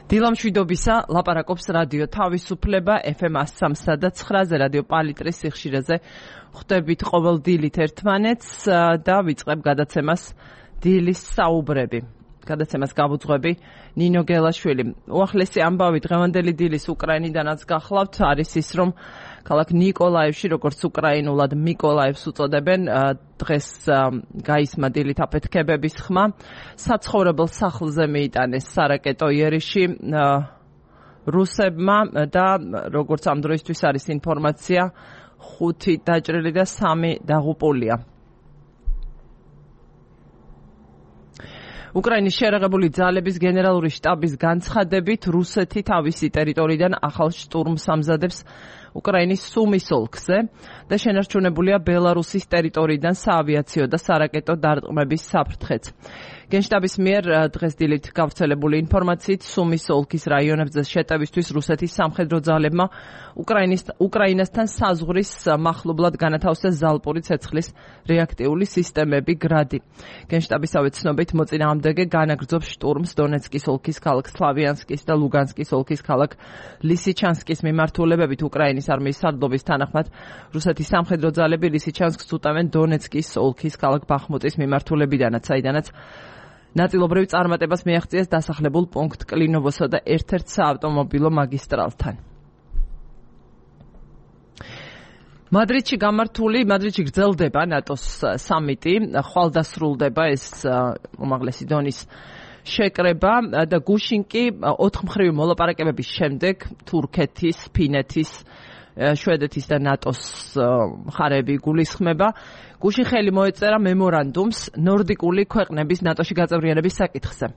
დილამშვიდობისა, ლაპარაკობს რადიო თავისუფლება FM 103.9-ზე, რადიო პალიტრის სიხშირეზე. ხვდებით ყოველ დილით ერთმანეთს და ვიწყებ გადაცემას დილის საუბრები. გადაცემას გავუძღვები ნინო გელაშვილი. უახლესი ამბავი დღევანდელი დილის უკრაინიდანაც გახლავთ, არის ის, რომ ქალაქ ნიკოლაევში, როგორც უკრაინულად მიკოლაევს უწოდებენ, დღეს გაისმა დილით აფეთქებების ხმა. საცხოვრებელ სახლზე მიიტანეს სარაკეტო იერიში რუსებმა და როგორც ამ დროისთვის არის ინფორმაცია, 5 დაჭრილი და 3 დაღუპულია. უკრაინის შეერაღებული ძალების გენერალური შტაბის განცხადებით, რუსეთი თავისი ტერიტორიიდან ახალ შტურმს ამზადებს უკრაინის სუმის ოლქზე და შენარჩუნებულია ბელარუსის ტერიტორიიდან საავიაციო და სარაკეტო დარტყმების საფრთხეც. გენშტაბის მიერ დღეს დილით გავრცელებული ინფორმაციით, სუმის ოლქის რაიონებზე შეტევისთვის რუსეთის სამხედრო ძალებმა უკრაინასთან საზღვრის მახლობლად განათავსეს ზალპური ცეცხლის რეაქტიული სისტემები გრადი. გენშტაბისავე ცნობით, მოწინააღმდეგე განაგრძობს შტურმს დონეცკის ოლქის ქალაქ სლავიანსკის და ლუგანსკის ოლქის ქალაქ ლისიჩანსკის მიმართულებებით. უკრაინის არმიის სარდლობის თანახმად, რუსეთის სამხედრო ძალები ლისიჩანსკს უტევენ დონეცკის ოლქის ქალაქ ბახმუტის მიმართულებიდანაც, საიდანაც ნაწილობრივ წარმატებას მიაღწიეს დასახლებულ პუნქტ კლინოვოსა და ერთ-ერთ საავტომობილო მაგისტრალთან. მადრიდში გრძელდება ნატოს სამიტი, ხვალ დასრულდება ეს უმაღლესი დონის შეკრება და გუშინ კი 4 მხრივი მოლაპარაკებების შემდეგ თურქეთის, ფინეთის, შვედეთის და ნატოს მხარეები გულისხმება. გუშინ ხელი მოეწერა მემორანდუმს ნორდიკული ქვეყნების ნატოში გაწევრიანების საკითხზე.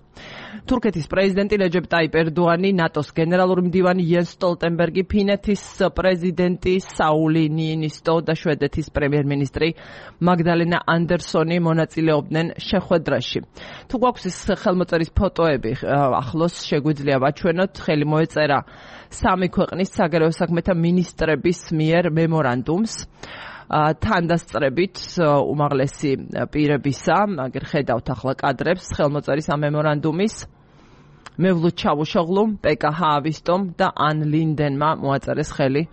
თურქეთის პრეზიდენტი რეჯეპ ტაიპ ერდოანი, ნატოს გენერალური მდივანი იენს სტოლტენბერგი, ფინეთის პრეზიდენტი საული ნიინისტო და შვედეთის პრემიერ-მინისტრი მაგდალენა ანდერსონი მონაწილეობდნენ შეხვედრაში. თუ გვაქვს ეს ხელმოწერის ფოტოები, ახლოს შეგვიძლია ვაჩვენოთ, ხელი მოეწერა 3 ქვეყნის საგარეო საქმეთა მინისტრების მიერ მემორანდუმს. თანდასწრებით უმაღლესი პირებისა, აგერ ხედავთ ახლა კადრებს ხელმოწერის ამ მემორანდუმის, მევლუდ ჩავუშოღლუ, პეკა ჰაავისტომ და ან ლინდენმა მოაწერეს ხელი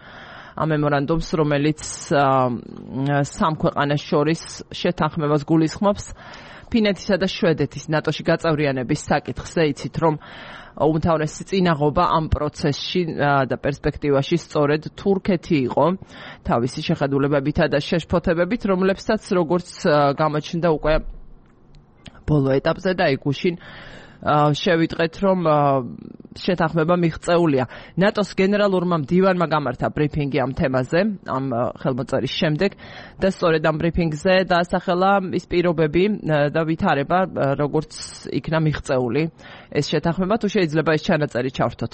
ამ მემორანდუმს, რომელიც 3 ქვეყანას შორის შეთანხმებას გულისხმობს ფინეთისა და შვედეთის ნატოში გაწევრიანების საკითხზე. იცით, რომ უმთავრესი წინაღობა ამ პროცესში და პერსპექტივაში სწორედ თურქეთი იყო თავისი შეხედულებებითა და შეშფოთებებით, რომლებსაც როგორც გამოჩნდა უკვე ბოლო ეტაპზე და გუშინ შევიტყვეთ, რომ შეთანხმება მიღწეულია. ნატოს გენერალურმა მდივანმა გამართა ბრიფინგი ამ თემაზე, ამ ხელმოწერის შემდეგ და სწორედ ამ ბრიფინგზე დაასახელა ის პირობები და ვითარება, როგორც იქნა მიღწეული ეს შეთანხმება. თუ შეიძლება ეს ჩანაწერი ჩავრთოთ.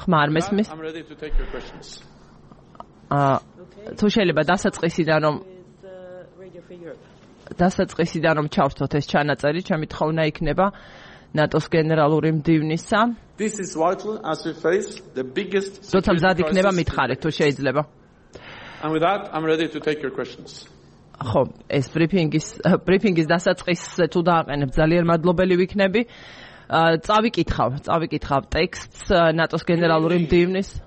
ხმა არ მესმის? თუ შეიძლება დასაწყისიდან რომ ჩავრთოთ ეს ჩანაწერი, ჩემი თხოვნა იქნება ნატოს გენერალური მდივნისა. როცა მზად იქნება მითხარით, თუ შეიძლება. ხო, ეს ბრიფინგის დასაწყისზე თუ დააყენებ, ძალიან მადლობელი ვიქნები. წავიკითხავ ტექსტს ნატოს გენერალური მდივნის.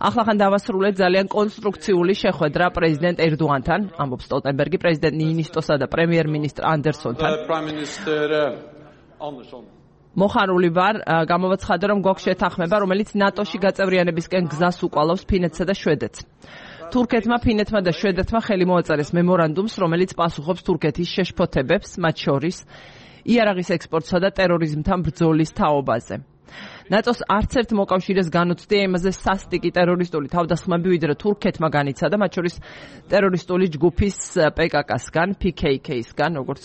ახლახან დავასრულეთ ძალიან კონსტრუქციული შეხვედრა პრეზიდენტ ერდოანთან, ამბობს სტოლტენბერგი, პრეზიდენტ ნიინისტოსა და პრემიერ-მინისტრ ანდერსონთან. მოხარული ვარ, გამოვაცხადე, რომ გვაქვს შეთანხმება, რომელიც ნატოში გაწევრიანებისკენ გზას უკვალავს ფინეთსა და შვედეთს. თურქეთმა, ფინეთმა და შვედეთმა ხელი მოაწერეს მემორანდუმს, რომელიც პასუხობს თურქეთის შეშფოთებებს, მათ შორის იარაღის ექსპორტსა და ტერორიზმთან ბრძოლის თაობაზე. ნატოს არც ერთ მოკავშირეს განუცდია იმაზე სასტიკი ტერორისტული თავდასხმები, ვიდრე თურქეთმა განიცადა, მათ შორის ტერორისტული ჯგუფის PKK-სგან, PKK-სგან, როგორც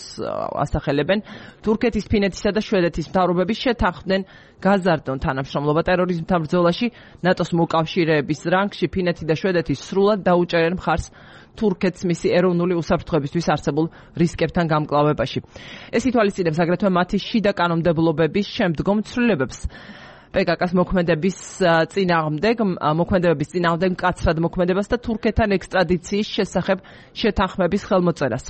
ასახელებენ, თურქეთის, ფინეთისა და შვედეთის მთავრობები შეთანხმდნენ გაზარდონ თანამშრომლობა ტერორიზმთან ბრძოლაში. ნატოს მოკავშირეების რანგში ფინეთი და შვედეთი სრულად დაუჭერენ მხარს თურქეთს მისი ეროვნული უსაფრთხოებისთვის არსებულ რისკებთან გამკლავებაში. ეს ითვალისწინებს აგრეთვე მათი შიდა კანონმდებლობების შემდგომ ცვლილებებს. PKK-ს მოქმედებების წინააღმდეგ მკაცრად მოქმედებას და თურქეთთან ექსტრადიციის შესახებ შეთანხმების ხელმოწერას.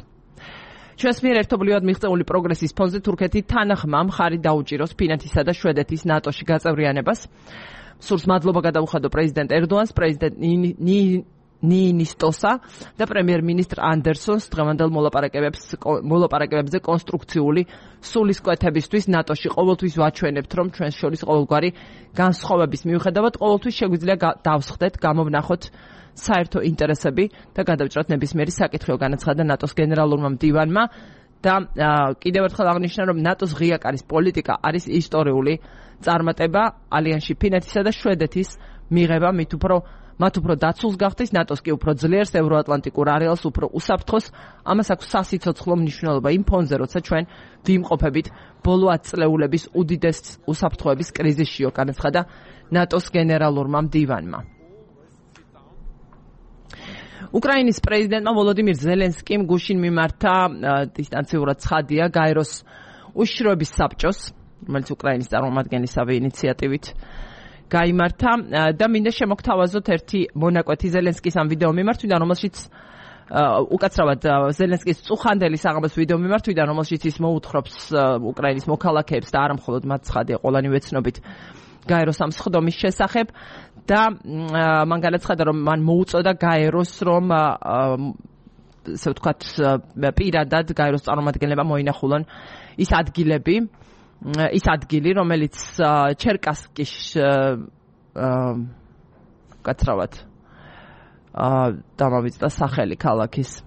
ჩვენს მიერ ერთობლივად მიღწეული პროგრესის ფონზე თურქეთი თანახმა მხარი დაუჭიროს ფინეთისა და შვედეთის ნატოში გაწევრიანებას. სურს მადლობა გადაუხადო პრეზიდენტ ერდოანს, პრეზიდენტ ნინისტოსა და პრემიერ-მინისტრ ანდერსონს დღევანდელ მოლაპარაკებებზე კონსტრუქციული სულისკვეთებისთვის ნატოში. ყოველთვის ვაჩვენებთ, რომ ჩვენს შორის ყოველგვარი განსხვავების მიუხედავად ყოველთვის შეგვიძლია დავსხდეთ, გამოვნახოთ საერთო ინტერესები და გადავჭრათ ნებისმიერი საკითხი, განაცხადა ნატოს გენერალურმა მდივანმა და კიდევ ერთხელ აღნიშნა, რომ ნატოს ღია კარის პოლიტიკა არის ისტორიული წარმატება ალიანსში ფინეთისა და შვედეთის მიღება მათ უფრო დაცულს გახდეს, ნატოს კი უფრო ძლიერს, ევროატლანტიკურ არეალს უფრო უსაფრთხოს. ამას აქვს სასიცოცხლო მნიშვნელობა იმ ფონზე, როცა ჩვენ ვიმყოფებით ბოლო 10 წლეულების უდიდეს უსაფრთხოების კრიზისშიო, განაცხადა ნატოს გენერალურმა მდივანმა. უკრაინის პრეზიდენტმა ვოლოდიმირ ზელენსკიმ გუშინ მიმართა დისტანციურად ცხადია გაეროს უშიშროების საბჭოს, რომელიც უკრაინის წარმომადგენლისავე ინიციატივით გაიმართა და მინდა შემოგთავაზოთ ერთი მონაკვეთი ზელენსკის ამ ვიდეო მიმართვიდან, რომელშიც უკაცრავად ზელენსკის წუხანდელი საღამოს ვიდეო მიმართვიდან, რომელშიც ის მოუთხრობს უკრაინის მოქალაქეებს და არა მხოლოდ მათ ცხადია ყველანი ვეცნობით გაეროს ამ სხდომის შესახებ და მან განაცხადა, რომ მან მოუწოდა გაეროს, რომ ასე ვთქვათ პირადად გაეროს წარმომადგენლებმა მოინახულონ ის ადგილი, რომელიც ჩერკასკის კაცრავად დამავიწყდა სახელი ქალაქის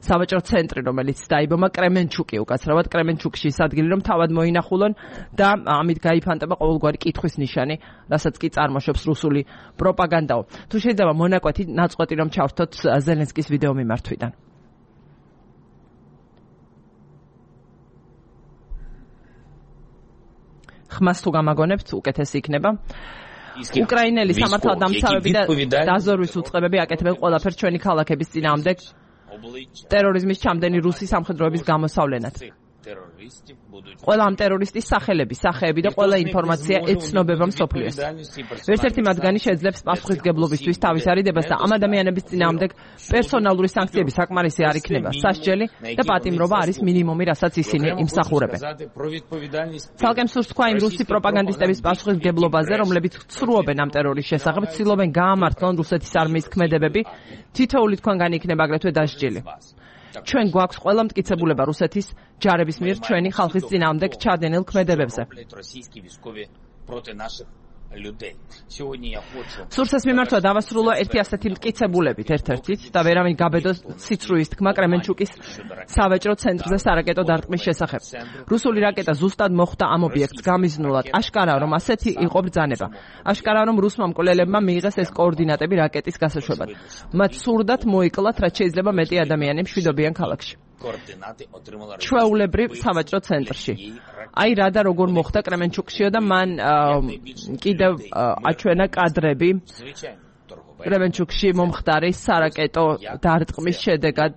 სავაჭრო ცენტრი, რომელიც დაიბომა კრემენჩუკი, უკაცრავად კრემენჩუკში ის ადგილი, რომ თავად მოინახულონ და ამით გაიფანტება ყოველგვარი კითხვის ნიშანი, რასაც კი წარმოშობს რუსული პროპაგანდაო. თუ შეიძლება მონაკვეთი ნაწყვეტი რომ ჩავრთოთ ზელენსკის ვიდეო მიმართვიდან. ხმას თუ გამაგონებთ, უკეთესი იქნება. უკრაინელი სამართალდამცავები და დაზორვის უწყებები აკეთებენ ყველაფერს ჩვენი ქალაქების წინააღმდეგ ტერორიზმის ჩამდენი რუსი სამხედროების გამოსავლენად. ყველა ამ ტერორისტის სახეები და ყველა ინფორმაცია ეცნობება მსოფლიოს. ერთ-ერთი მათგანი შეძლებს პასუხისმგებლობისთვის თავის არიდებას და ამ ადამიანების წინააღმდეგ პერსონალური სანქციები საკმარისი არ იქნება. სასჯელი და პატიმრობა არის მინიმუმი, რასაც ისინი იმსახურებენ. ცალკე მსურს თქვა იმ რუსი პროპაგანდისტების პასუხისმგებლობაზე, რომლებიც ცრუობენ ამ ტერორის შესახებ, ცდილობენ გაამართლონ რუსეთის არმიის ქმედებები, თითოეული თქვენგანი იქნება აგრეთვე დასჯილი. ჩვენ გვაქვს ყველა მტკიცებულება რუსეთის ჯარების მიერ ჩვენი ხალხის წინააღმდეგ ჩადენილ ქმედებებზე. სურსეს მიმართვა დავასრულო ერთი ასეთი მტკიცებულებით ერთ-ერთით და ვერავინ გაბედოს სიცრუის თქმა კრემენჩუკის სავაჭრო ცენტრზე სარაკეტო დარტყმის შესახებ. რუსული რაკეტა ზუსტად მოხვდა ამ ობიექტს გამიზნულად. აშკარაა, რომ ასეთი იყო ბრძანება. აშკარაა, რომ რუსმა მკვლელებმა მიიღეს ეს კოორდინატები რაკეტის გასაშვებად. მათ სურდათ მოიკლათ, რაც შეიძლება მეტი ადამიანი მშვიდობიან ქალაქში. ჩვეულებრივ სავაჭრო ცენტრში. აი რა და როგორ მოხდა კრემენჩუკშიო და მან კიდევ აჩვენა კადრები კრემენჩუკში მომხდარი სარაკეტო დარტყმის შედეგად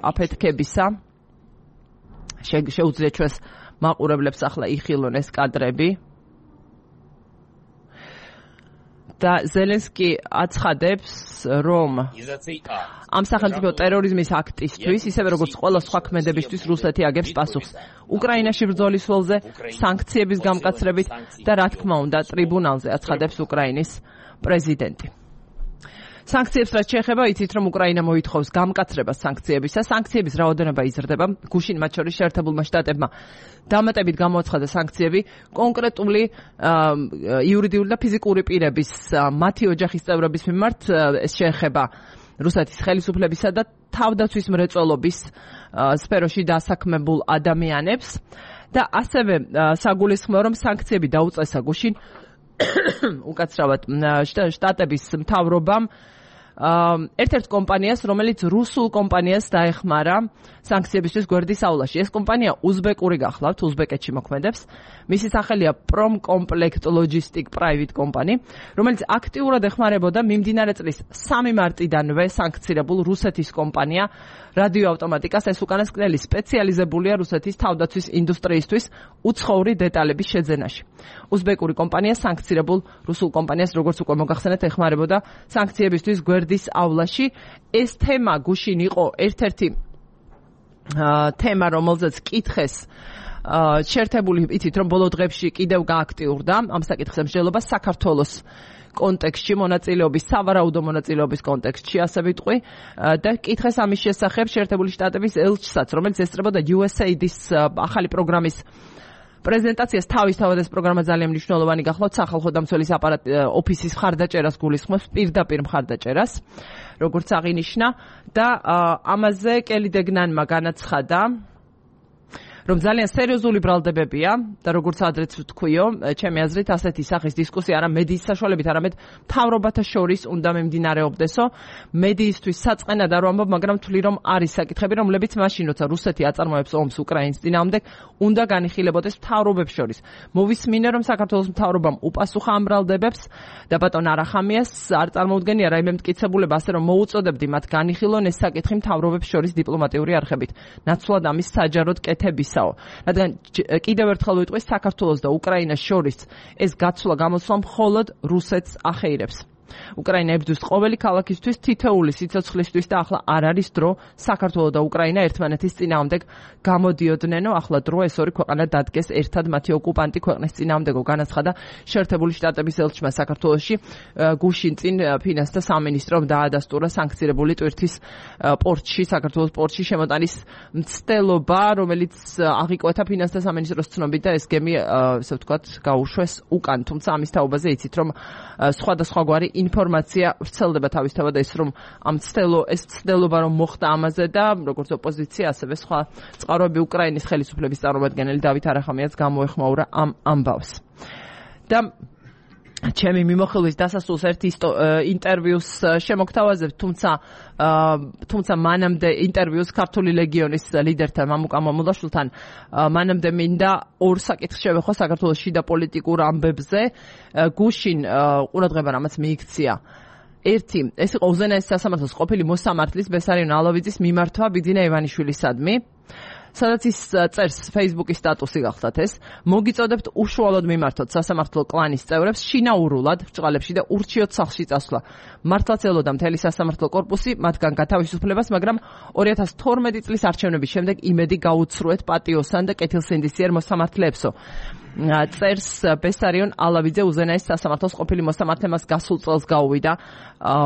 აფეთქებისა. შეუძლია ჩვენს მაყურებლებს ახლა იხილონ ეს კადრები. და ზელენსკი აცხადებს, რომ ამ სახელმწიფო ტერორიზმის აქტისთვის, ისევე როგორც ყველა სხვა ქმედებისთვის რუსეთი აგებს პასუხს. უკრაინაში ბრძოლის ველზე, სანქციების გამკაცრებით და რა თქმა უნდა ტრიბუნალზე, აცხადებს უკრაინის პრეზიდენტი. სანქციებს რაც შეეხება, იცით რომ უკრაინა მოითხოვს გამკაცრებას სანქციებისა. სანქციების რაოდენობა იზრდება. გუშინ მათ შორის შეერთებულმა შტატებმა დამატებით გამოაცხადა სანქციები კონკრეტული იურიდიული და ფიზიკური პირების მათი ოჯახის წევრების მიმართ. ეს შეეხება რუსეთის ხელისუფლებისა და თავდაცვის მრეწველობის სფეროში დასაქმებულ ადამიანებს და ასევე საგულისხმოა რომ სანქციები დაუწესა გუშინ უკაცრავად შტატების მთავრობამ ერთ-ერთ კომპანიას, რომელიც რუსულ კომპანიას დაეხმარა სანქციებისთვის გვერდის აულაში. ეს კომპანია უზბეკური გახლავთ, უზბეკეთში მოქმედებს. მისი სახელია Promcomplect Logistic Private Company, რომელიც აქტიურად ეხმარებოდა მიმდინარე წლის 3 მარტიდანვე სანქცირებულ რუსეთის კომპანია რადიოავტომატიკას. ეს უკანასკნელი სპეციალიზებულია რუსეთის თავდაცვის ინდუსტრიისთვის უცხოური დეტალების შეძენაში. უზბეკური კომპანია სანქცირებულ რუსულ კომპანიას, როგორც უკვე მოგახსენეთ, ეხმარებოდა სანქციებისთვის გვერდის აულაში. ეს თემა გუშინ იყო ერთ-ერთი თემა, რომელზეც კითხეს შეერთებული, იცით რომ ბოლო დღეებში კიდევ გააქტიურდა ამ საკითხზე მსჯელობა საქართველოს კონტექსტში მონაწილეობის, სავარაუდო მონაწილეობის კონტექსტში, ასე ვიტყვი, და კითხეს ამის შესახებ შეერთებული შტატების ელჩსაც, რომელიც ესწრებოდა USAID-ის ახალი პროგრამის პრეზენტაციას. თავისთავად ეს პროგრამა ძალიან მნიშვნელოვანი გახლავთ სახალხო დამცველის ოფისის მხარდაჭერას გულისხმობს, პირდაპირ მხარდაჭერას, როგორც აღინიშნა, და ამაზე კელი დეგნანმა განაცხადა, რომ ძალიან სერიოზული ბრალდებებია და როგორც ადრეც ვთქვიო, ჩემი აზრით ასეთი სახის დისკუსია არა მედიის საშუალებით, არამედ მთავრობათა შორის უნდა მიმდინარეობდესო. მედიისთვის საწყენად არ ვამბობ, მაგრამ ვთვლი, რომ არის საკითხები, რომლებიც მაშინ, როცა რუსეთი აწარმოებს ომს უკრაინის წინააღმდეგ, უნდა განიხილებოდეს მთავრობებს შორის. მოვისმინე, რომ საქართველოს მთავრობამ უპასუხა ამ ბრალდებებს და ბატონ არახამიას არ წარმოუდგენია რაიმე მტკიცებულება, ასე რომ მოუწოდებდი მათ განიხილონ ეს საკითხი მთავრობებს შორის დიპლომატიური არხებით. ნაცვლად ამის საჯაროდ კეთების რადგან კიდევ ერთხელ ვიტყვი, საქართველოს და უკრაინას შორის ეს გაცვლა გამოსვლა მხოლოდ რუსეთს ახეირებს. უკრაინა ებრძვის ყოველი ქალაქისთვის, თითოეული სიცოცხლისთვის და ახლა არ არის დრო საქართველო და უკრაინა ერთმანეთის წინააღმდეგ გამოდიოდნენ, ახლა დრო ეს ორი ქვეყანა დადგეს ერთად მათი ოკუპანტი ქვეყნის წინააღმდეგო, განაცხადა შეერთებული შტატების ელჩმა საქართველოში. გუშინ წინ ფინანსთა სამინისტრომ დაადასტურა სანქცირებული ტვირთის პორტში, საქართველოს პორტში შემოტანის მცდელობა, რომელიც აღიკვეთა ფინანსთა სამინისტროს ცნობით და ეს გემი, ასე ვთქვათ, გაუშვეს უკან. თუმცა ამის თაობაზე იცით, რომ სხვადასხვაგვარი ინფორმაცია ვრცელდება თავისთავად ეს რომ ეს ცდელობა რომ მოხდა ამაზე და როგორც ოპოზიცია ასევე სხვა წყაროები უკრაინის ხელისუფლების წარმომადგენელი დავით არახამიას გამოეხმაურა ამ ამბავს. და ჩემი მიმოხილვის დასასრულს ერთი ინტერვიუს შემოგთავაზებ, თუმცა მანამდე ინტერვიუს ქართული ლეგიონის ლიდერთან მამუკა მამულაშვილთან მანამდე მინდა ორ საკითხს შევეხო საქართველოს შიდა პოლიტიკურ ამბებზე. გუშინ ყურადღება რამაც მიიქცია. ერთი, ეს იყო უზენაესი სასამართლოს ყოფილი მოსამართლის ბესარიონ ალოვიძის მიმართვა ბიძინა ივანიშვილისადმი, სადაც ის წერს Facebook-ის სტატუსი გახლდათ ეს, მოგიწოდებთ უშუალოდ მიმართოთ სასამართლო კლანის წევრებს შინაურულად ბრჭყალებში და ურჩიოთ სახლში წასვლა. მართლაც ელოდა მთელი სასამართლო კორპუსი მათგან გათავისუფლებას, მაგრამ 2012 წლის არჩევნების შემდეგ იმედი გაუცრუეთ პატიოსან და კეთილსინდისიერ მოსამართლეებსო. წერს ბესარიონ ალავიძე, უზენაეს სასამართლოს ყოფილი მოსამართლე, მას გასულ წელს გაუვიდა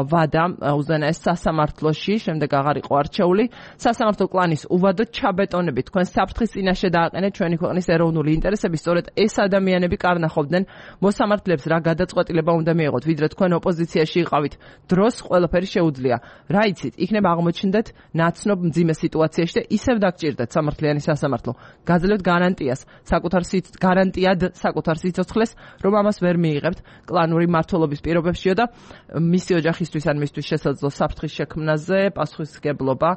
ვადა უზენაეს სასამართლოში, შემდეგ აღარ იყო არჩეული. სასამართლო კლანის უვადო ჩაბეტონები თქვენ საფრთხის წინაშე დააყენეთ ჩვენი ქვეყნის ეროვნული ინტერესები, სწორედ ეს ადამიანები კარნახობდნენ მოსამართლეებს რა გადაწყვეტილება უნდა მიიღოთ, ვიდრე თქვენ ოპოზიციაში იყავით. დროს ყველაფერი შეუძლია. რა იცით, იქნება აღმოჩნდეთ ნაცნობ მძიმე სიტუაციაში და ისევ დაგჭირდეთ სამართლიანი სასამართლო. გაძლევთ გარანტიად საკუთარ სიცოცხლეს, რომ ამას ვერ მიიღებთ კლანური მმართველობის პირობებშიო და მისი ოჯახისთვის ან მისთვის შესაძლო საფრთხის შექმნაზე პასუხისმგებლობა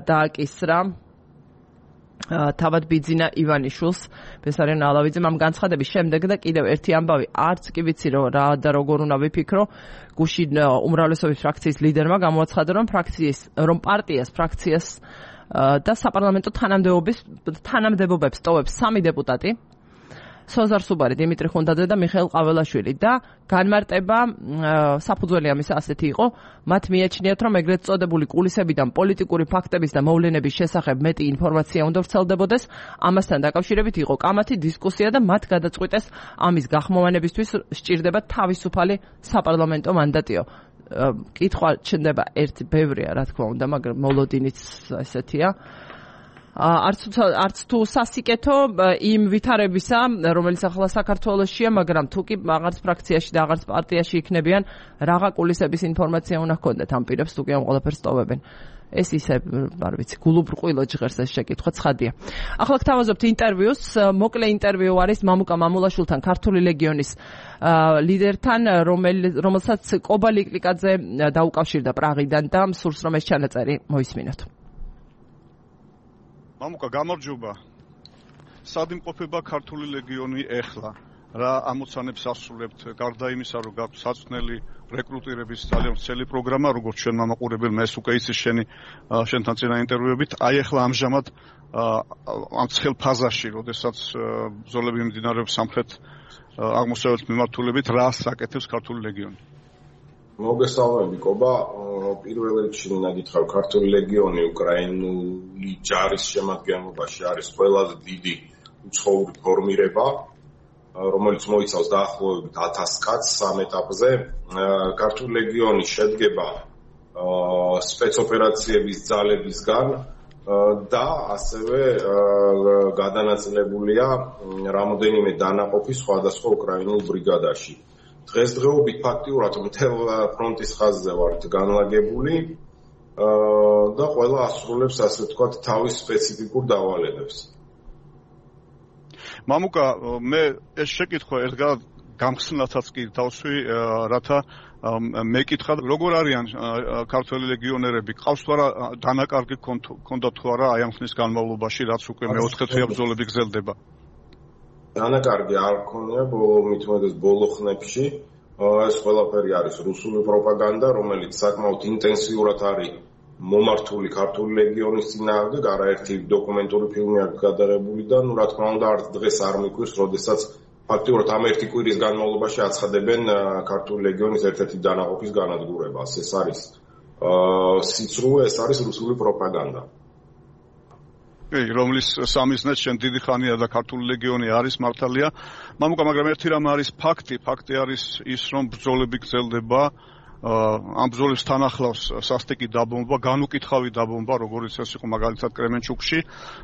დააკისრა თავად ბიძინა ივანიშვილს ბესარიონ ალავიძემ ამ განცხადების შემდეგ და კიდევ ერთი ამბავი, არც კი ვიცი რა და როგორ უნდა ვიფიქრო, გუშინ უმრავლესობის ფრაქციის ლიდერმა გამოაცხადა, რომ ფრაქციას და საპარლამენტო თანამდებობებს ტოვებს 3 დეპუტატი, სოზარ სუბარი, დიმიტრი ხუნდაძე და მიხეილ ყაველაშვილი და განმარტება საფუძველი ამისა ასეთი იყო, მათ მიაჩნიათ, რომ ეგრეთ წოდებული კულისებიდან პოლიტიკური ფაქტების და მოვლენების შესახებ მეტი ინფორმაცია უნდა ვრცელდებოდეს, ამასთან დაკავშირებით იყო კამათი დისკუსია და მათ გადაწყვიტეს ამის გახმოვანებისთვის სჭირდება თავისუფალი საპარლამენტო მანდატიო. კითხვა ჩნდება ერთი ბევრია, რა თქმა უნდა, მაგრამ მოლოდინიც ესეთია. არც თუ სასიკეთო იმ ვითარებისა, რომელიც ახლა საქართველოშია, მაგრამ თუ კი აღარც ფრაქციაში და აღარც პარტიაში იქნებიან, რაღა კულისების ინფორმაცია უნდა ჰქონდეთ ამ პირებს, თუ კი ამ ყველაფერს ტოვებენ. ეს ისე, არ ვიცი, გულუბრყვილო ჟღერს ეს შეკითხვა ცხადია. ახლა გთავაზობთ ინტერვიუს, მოკლე ინტერვიუ არის მამუკა მამულაშვილთან, ქართული ლეგიონის ლიდერთან, რომელსაც კობა ლიკლიკაძე დაუკავშირდა პრაღიდან და სურს რომ ეს ჩანაწერი მოისმინოთ. მამუკა, გამარჯობა. სად იმყოფება ქართული ლეგიონი ეხლა? რა ამოცანებს ასრულებთ, გარდა იმისა, რომ გაქვთ საწვნელი რეკრუტირების ძალიან ვრცელი პროგრამა, როგორც ჩვენ მამაყურებელმა ეს უკვე იცის შენთან წინა ინტერვიუებით, აი ეხლა ამჟამად ამ ცხელ ფაზაში, როდესაც ბრძოლები მიმდინარეობს სამხრეთ აღმოსავლეთ მიმართულებით, რა საკეთებს ქართული ლეგიონი? მოგესალმები კობა, პირველ რიგში მინდა გითხრა, ქართული ლეგიონი უკრაინული ჯარის შემადგენლობაში არის ყველაზე დიდი უცხოური ფორმირება, რომელიც მოიცავს დაახლოებით 1000 კაცს სამ ეტაპზე. ქართული ლეგიონი შედგება სპეცოპერაციების ძალებისგან და ასევე გადანაწილებულია რამოდენიმე დანაყოფი სხვადასხვა უკრაინულ ბრიგადაში. დღესდღეობით ფაქტიურად მთელ ფრონტის ხაზზე ვართ განლაგებული და ყველა ასრულებს, ასე ვთქვათ, თავის სპეციფიკურ დავალებებს. მამუკა, მე ეს შეკითხვა ერთგან გამხსნელთაც კი დავსვი, რათა მეკითხა, როგორ არიან ქართველი ლეგიონერები, ყავს თუ არა დანაკარგი ქონდათ თუ არა აი ამ ხნის განმავლობაში, რაც უკვე მეოთხე თვეა ბრძოლები გრძელდება? დანაკარგი არ ქონია ბოლო ხნებში. ეს ყველაფერი არის რუსული პროპაგანდა, რომელიც საკმაოდ ინტენსიურად არის მომართული ქართული ლეგიონის წინააღმდეგ, არაერთი დოკუმენტური ფილმი აქვს გადაღებული და რა თქმა უნდა არც დღეს არ მიკვირს, როდესაც ფაქტიურად ამ ერთი კვირის განმავლობაში აცხადებენ ქართული ლეგიონის ერთ-ერთი დანაყოფის განადგურებას. ეს არის სიცრუე, ეს არის რუსული პროპაგანდა. რომლის სამიზნეც შენ დიდი ხანია და ქართული ლეგიონი არის მართალია. მამუკა, მაგრამ ერთი რამ არის ფაქტი არის ის, რომ ბრძოლები გრძელდება, ამ ბრძოლებს თან ახლავს სასტიკი დაბომბვა, განუკითხავი დაბომბვა, როგორც ეს იყო მაგალითად კრემენჩუკში,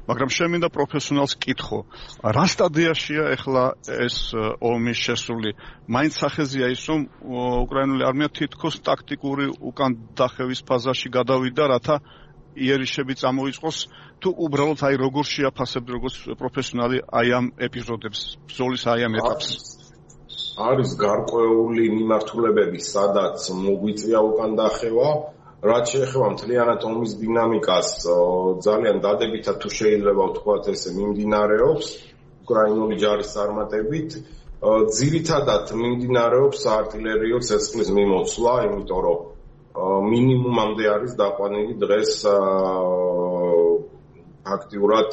მაგრამ შენ მინდა პროფესიონალს კითხო, რა სტადიაშია ახლა ეს ომის შესული? მაინც სახეზია ის, რომ უკრაინული არმია თითქოს ტაქტიკური უკან დახევის ფაზაში გადავიდა, რათა იერიშები წამოიწყოს, თუ უბრალოდ აი როგორ შეაფასებთ როგორც პროფესიონალი აი ამ ეპიზოდებს, ბრძოლის აი ამ ეტაპს? არის გარკვეული მიმართულებები, სადაც მოგვიწია უკან დახევა, რაც შეეხება მთლიანად ომის დინამიკას, ძალიან დადებითად თუ შეიძლება ვთქვათ ესე მიმდინარეობს უკრაინული ჯარის წარმატებით. ძირითადად მიმდინარეობს საარტილერიო ცეცხლის მიმოცვლა, იმიტომ რომ მინიმუმამდე არის დაყვანილი დღეს ფაქტიურად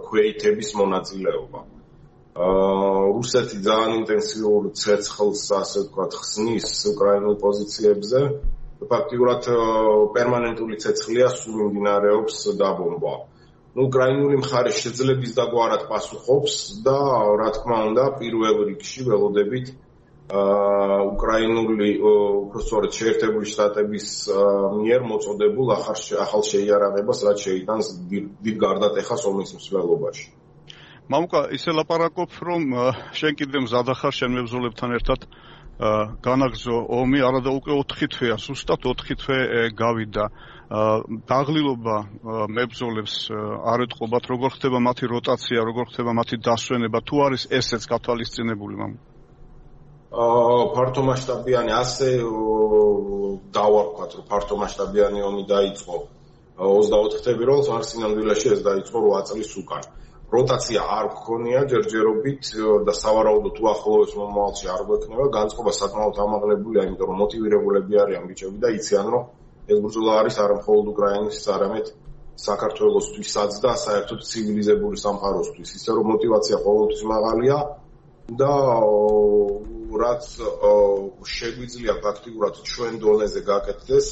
ქვეითების მონაწილეობა. რუსეთი ძალიან ინტენსიურ ცეცხლს, ასე ვთქვათ, ხსნის უკრაინულ პოზიციებზე. ფაქტიურად პერმანენტული ცეცხლია, სულ მიმდინარეობს დაბომბვა. უკრაინული მხარე შეძლების დაგვარად პასუხობს და რა თქმა უნდა, პირველ რიგში ველოდებით უკრაინული უпростоრეთ შეერთებული შტატების მიერ მოწოდებულ ახალ შეიარაღებას, რაც შეიტანს დიდ გარდატეხას ომის მსვლელობაში. მამუკა, ისე ლაპარაკობ, რომ შენ კიდევ მზადა ხარ შენ მებრძოლებთან ერთად განაგრძო ომი, არადა უკვე 4 თვეა, ზუსტად 4 თვე გავიდა. დაღლილობა მებრძოლებს არ ეტყობათ, როგორ ხდება მათი როტაცია, როგორ ხდება მათი დასვენება, თუ არის ესეც გათვალისწინებული, მამუკა? ფართომასშტაბიანი ასე დავარქვათ, რომ ფართომასშტაბიანი ომი დაიწყო 24 თებერვალს, მაგრამ სინამდვილეში ეს დაიწყო 8 წლის უკან. როტაცია არ გქონია ჯერჯერობით და სავარაუდოდ უახლოეს მომავალში არ გვექნება, განწყობა საკმაოდ ამაღლებულია, იმიტომ რომ მოტივირებულები არიან ბიჭები და იციან, რომ ეს ბრძოლა არის არა მხოლოდ უკრაინის, არამედ საქართველოსთვისაც და საერთოდ ცივილიზებული სამყაროსთვის. ისე რომ მოტივაცია ყოველთვის მაღალია და რაც შეგვიძლია ფაქტიურად ჩვენ დონეზე გაკეთდეს,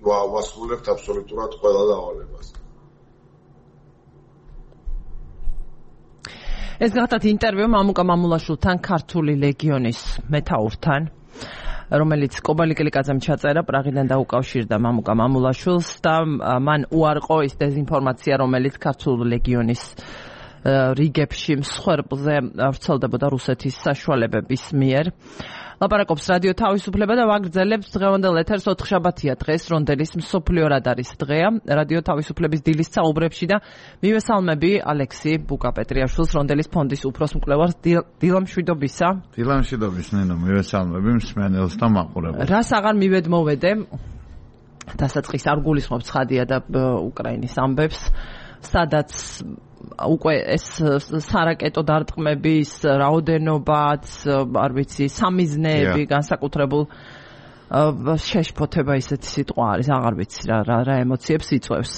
ვასრულებთ აბსოლუტურად ყველა დავალებას. ეს გახდათ ინტერვიუ მამუკა მამულაშვილთან, ქართული ლეგიონის მეთაურთან, რომელიც კობალიკელიკაძემ ჩაწერა, პრაღიდან დაუკავშირდა მამუკა მამულაშვილს და მან უარყო ის დეზინფორმაცია, რომელიც ქართული ლეგიონის რიგებში მსხვერპლზე ვრცელდებოდა რუსეთის საშუალებების მიერ. ლაპარაკობს რადიო თავისუფლება და ვაგრძელებთ დღევანდელ ეთერს 4 შაბათია დღეს, რონდელის მსოფლიო რადარის დღეა. რადიო თავისუფლების დილის საუბრებში და მივესალმები ალექსი ბუკაპეტრიაშვილს, რონდელის ფონდის უფროსმკვლევარს. დილამშვიდობისა. დილამშვიდობის, ნინო, მივესალმები მსმენელს და მაყურებელს. რას აღარ მივედმოვედე? დასაწყის არ გულისხმობ ცხადია და უკრაინის ამბებს, სადაც უკვე ეს სარაკეტო დარტყმების რაოდენობაც, არ ვიცი, სამიზნეები განსაკუთრებულ შეშფოთება ისეთი სიტყვა არის, აღარ ვიცი რა ემოციებს იწვევს.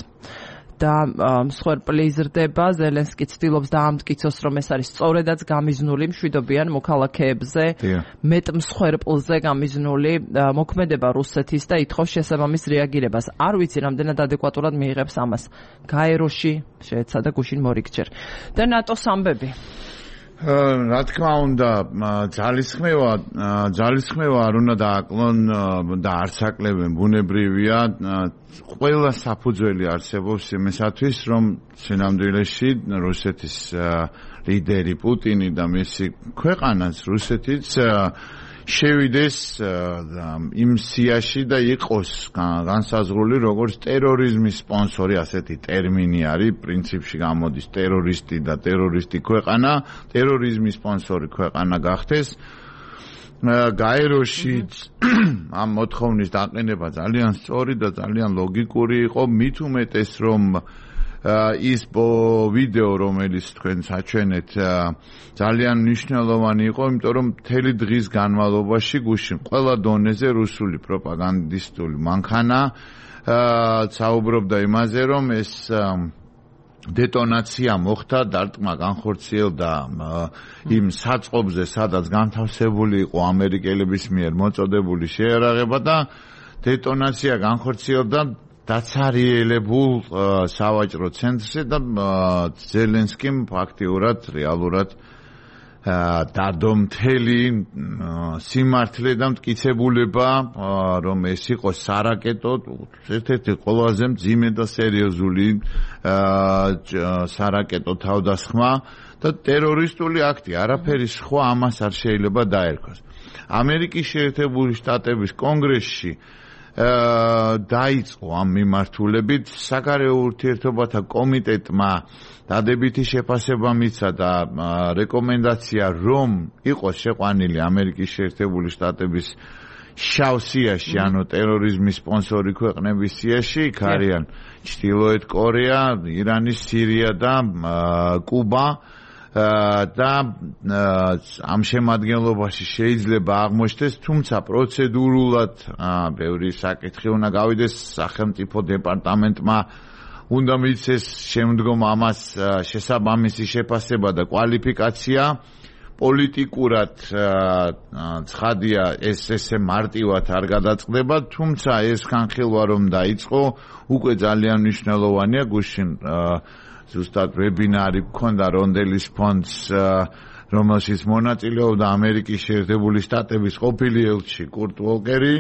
და მსხვერპლი იზრდება. ზელენსკი ცდილობს დაამტკიცოს, რომ ეს არის სწორედაც გამიზნული მშვიდობიან მოქალაქეებზე, მეტ მსხვერპლზე გამიზნული მოქმედება რუსეთის და ითხოვს შესაბამის რეაგირებას. არ ვიცი, რამდენად ადეკვატურად მიიღებს ამას. გაეროში შეეცადა გუშინ მორიგჯერ. და ნატოს ამბები. რა თქმა უნდა, ძალისხმევა არ უნდა დააკლონ და არც აკლებენ, ბუნებრივია. ყველა საფუძველი არსებობს იმისათვის, რომ სინამდვილეში რუსეთის ლიდერი პუტინი და მისი ქვეყანაც რუსეთიც შევიდეს იმ სიაში და იყოს განსაზღვრული როგორც ტერორიზმის სპონსორი, ასეთი ტერმინი არის, პრინციპში გამოდის ტერორისტი და ტერორისტი ქვეყანა, ტერორიზმის სპონსორი ქვეყანა გახდეს. გაეროში ამ მოთხოვნის დაყენება ძალიან სწორი და ძალიან ლოგიკური იყო, მით უმეტეს რომ ის ვიდეო, რომელიც თქვენ საჩვენეთ, ძალიან მნიშვნელოვანი იყო, იმიტომ რომ მთელი დღის განმავლობაში გუშინ ყველა დონეზე რუსული პროპაგანდისტული მანქანა საუბრობდა იმაზე, რომ ეს დეტონაცია მოხდა, დარტყმა განხორციელდა იმ საწყობზე, სადაც განთავსებული იყო ამერიკელების მიერ მოწოდებული შეერაღება და დეტონაცია განხორციელდა დაცარიელებულ სავაჭრო ცენტრზე და ზელენსკიმ ფაქტიურად რეალურად დადო მთელი სიმართლე და მტკიცებულება, რომ ეს იყო სარაკეტო, ერთ-ერთი ყველაზე მძიმე და სერიოზული სარაკეტო თავდასხმა და ტერორისტული აქტი, არაფერი სხვა ამას არ შეიძლება დაერქვას. ამერიკის შეერთებული შტატების კონგრესში დაიწყო ამ მიმართულებით საგარეო ურთიერთობათა კომიტეტმა დადებითი შეფასება მიცა და რეკომენდაცია, რომ იყოს შეყვანილი ამერიკის შეერთებული შტატების შავ სიაში, ანუ ტერორიზმის სპონსორი ქვეყნების სიაში, იქ არიან ჩრდილოეთ კორეა, ირანი, სირია და კუბა. და ამ შემადგენლობაში შეიძლება აღმოჩნდეს, თუმცა პროცედურულად ბევრი საკითხი უნდა გავიდეს სახელმწიფო დეპარტამენტმა, უნდა მიცეს შემდგომ ამას შესაბამისი შეფასება და კვალიფიკაცია. პოლიტიკურად ცხადია, ეს ესე მარტივად არ გადაწყდება, თუმცა ეს განხილვა რომ დაიწყო, უკვე ძალიან მნიშვნელოვანია. გუშინ ზუსტად ვებინარი გქონდა რონდელის ფონდს, რომელშიც მონაწილეობდა ამერიკის შეერთებული შტატების ყოფილი ელჩი კურტ ვოლკერი.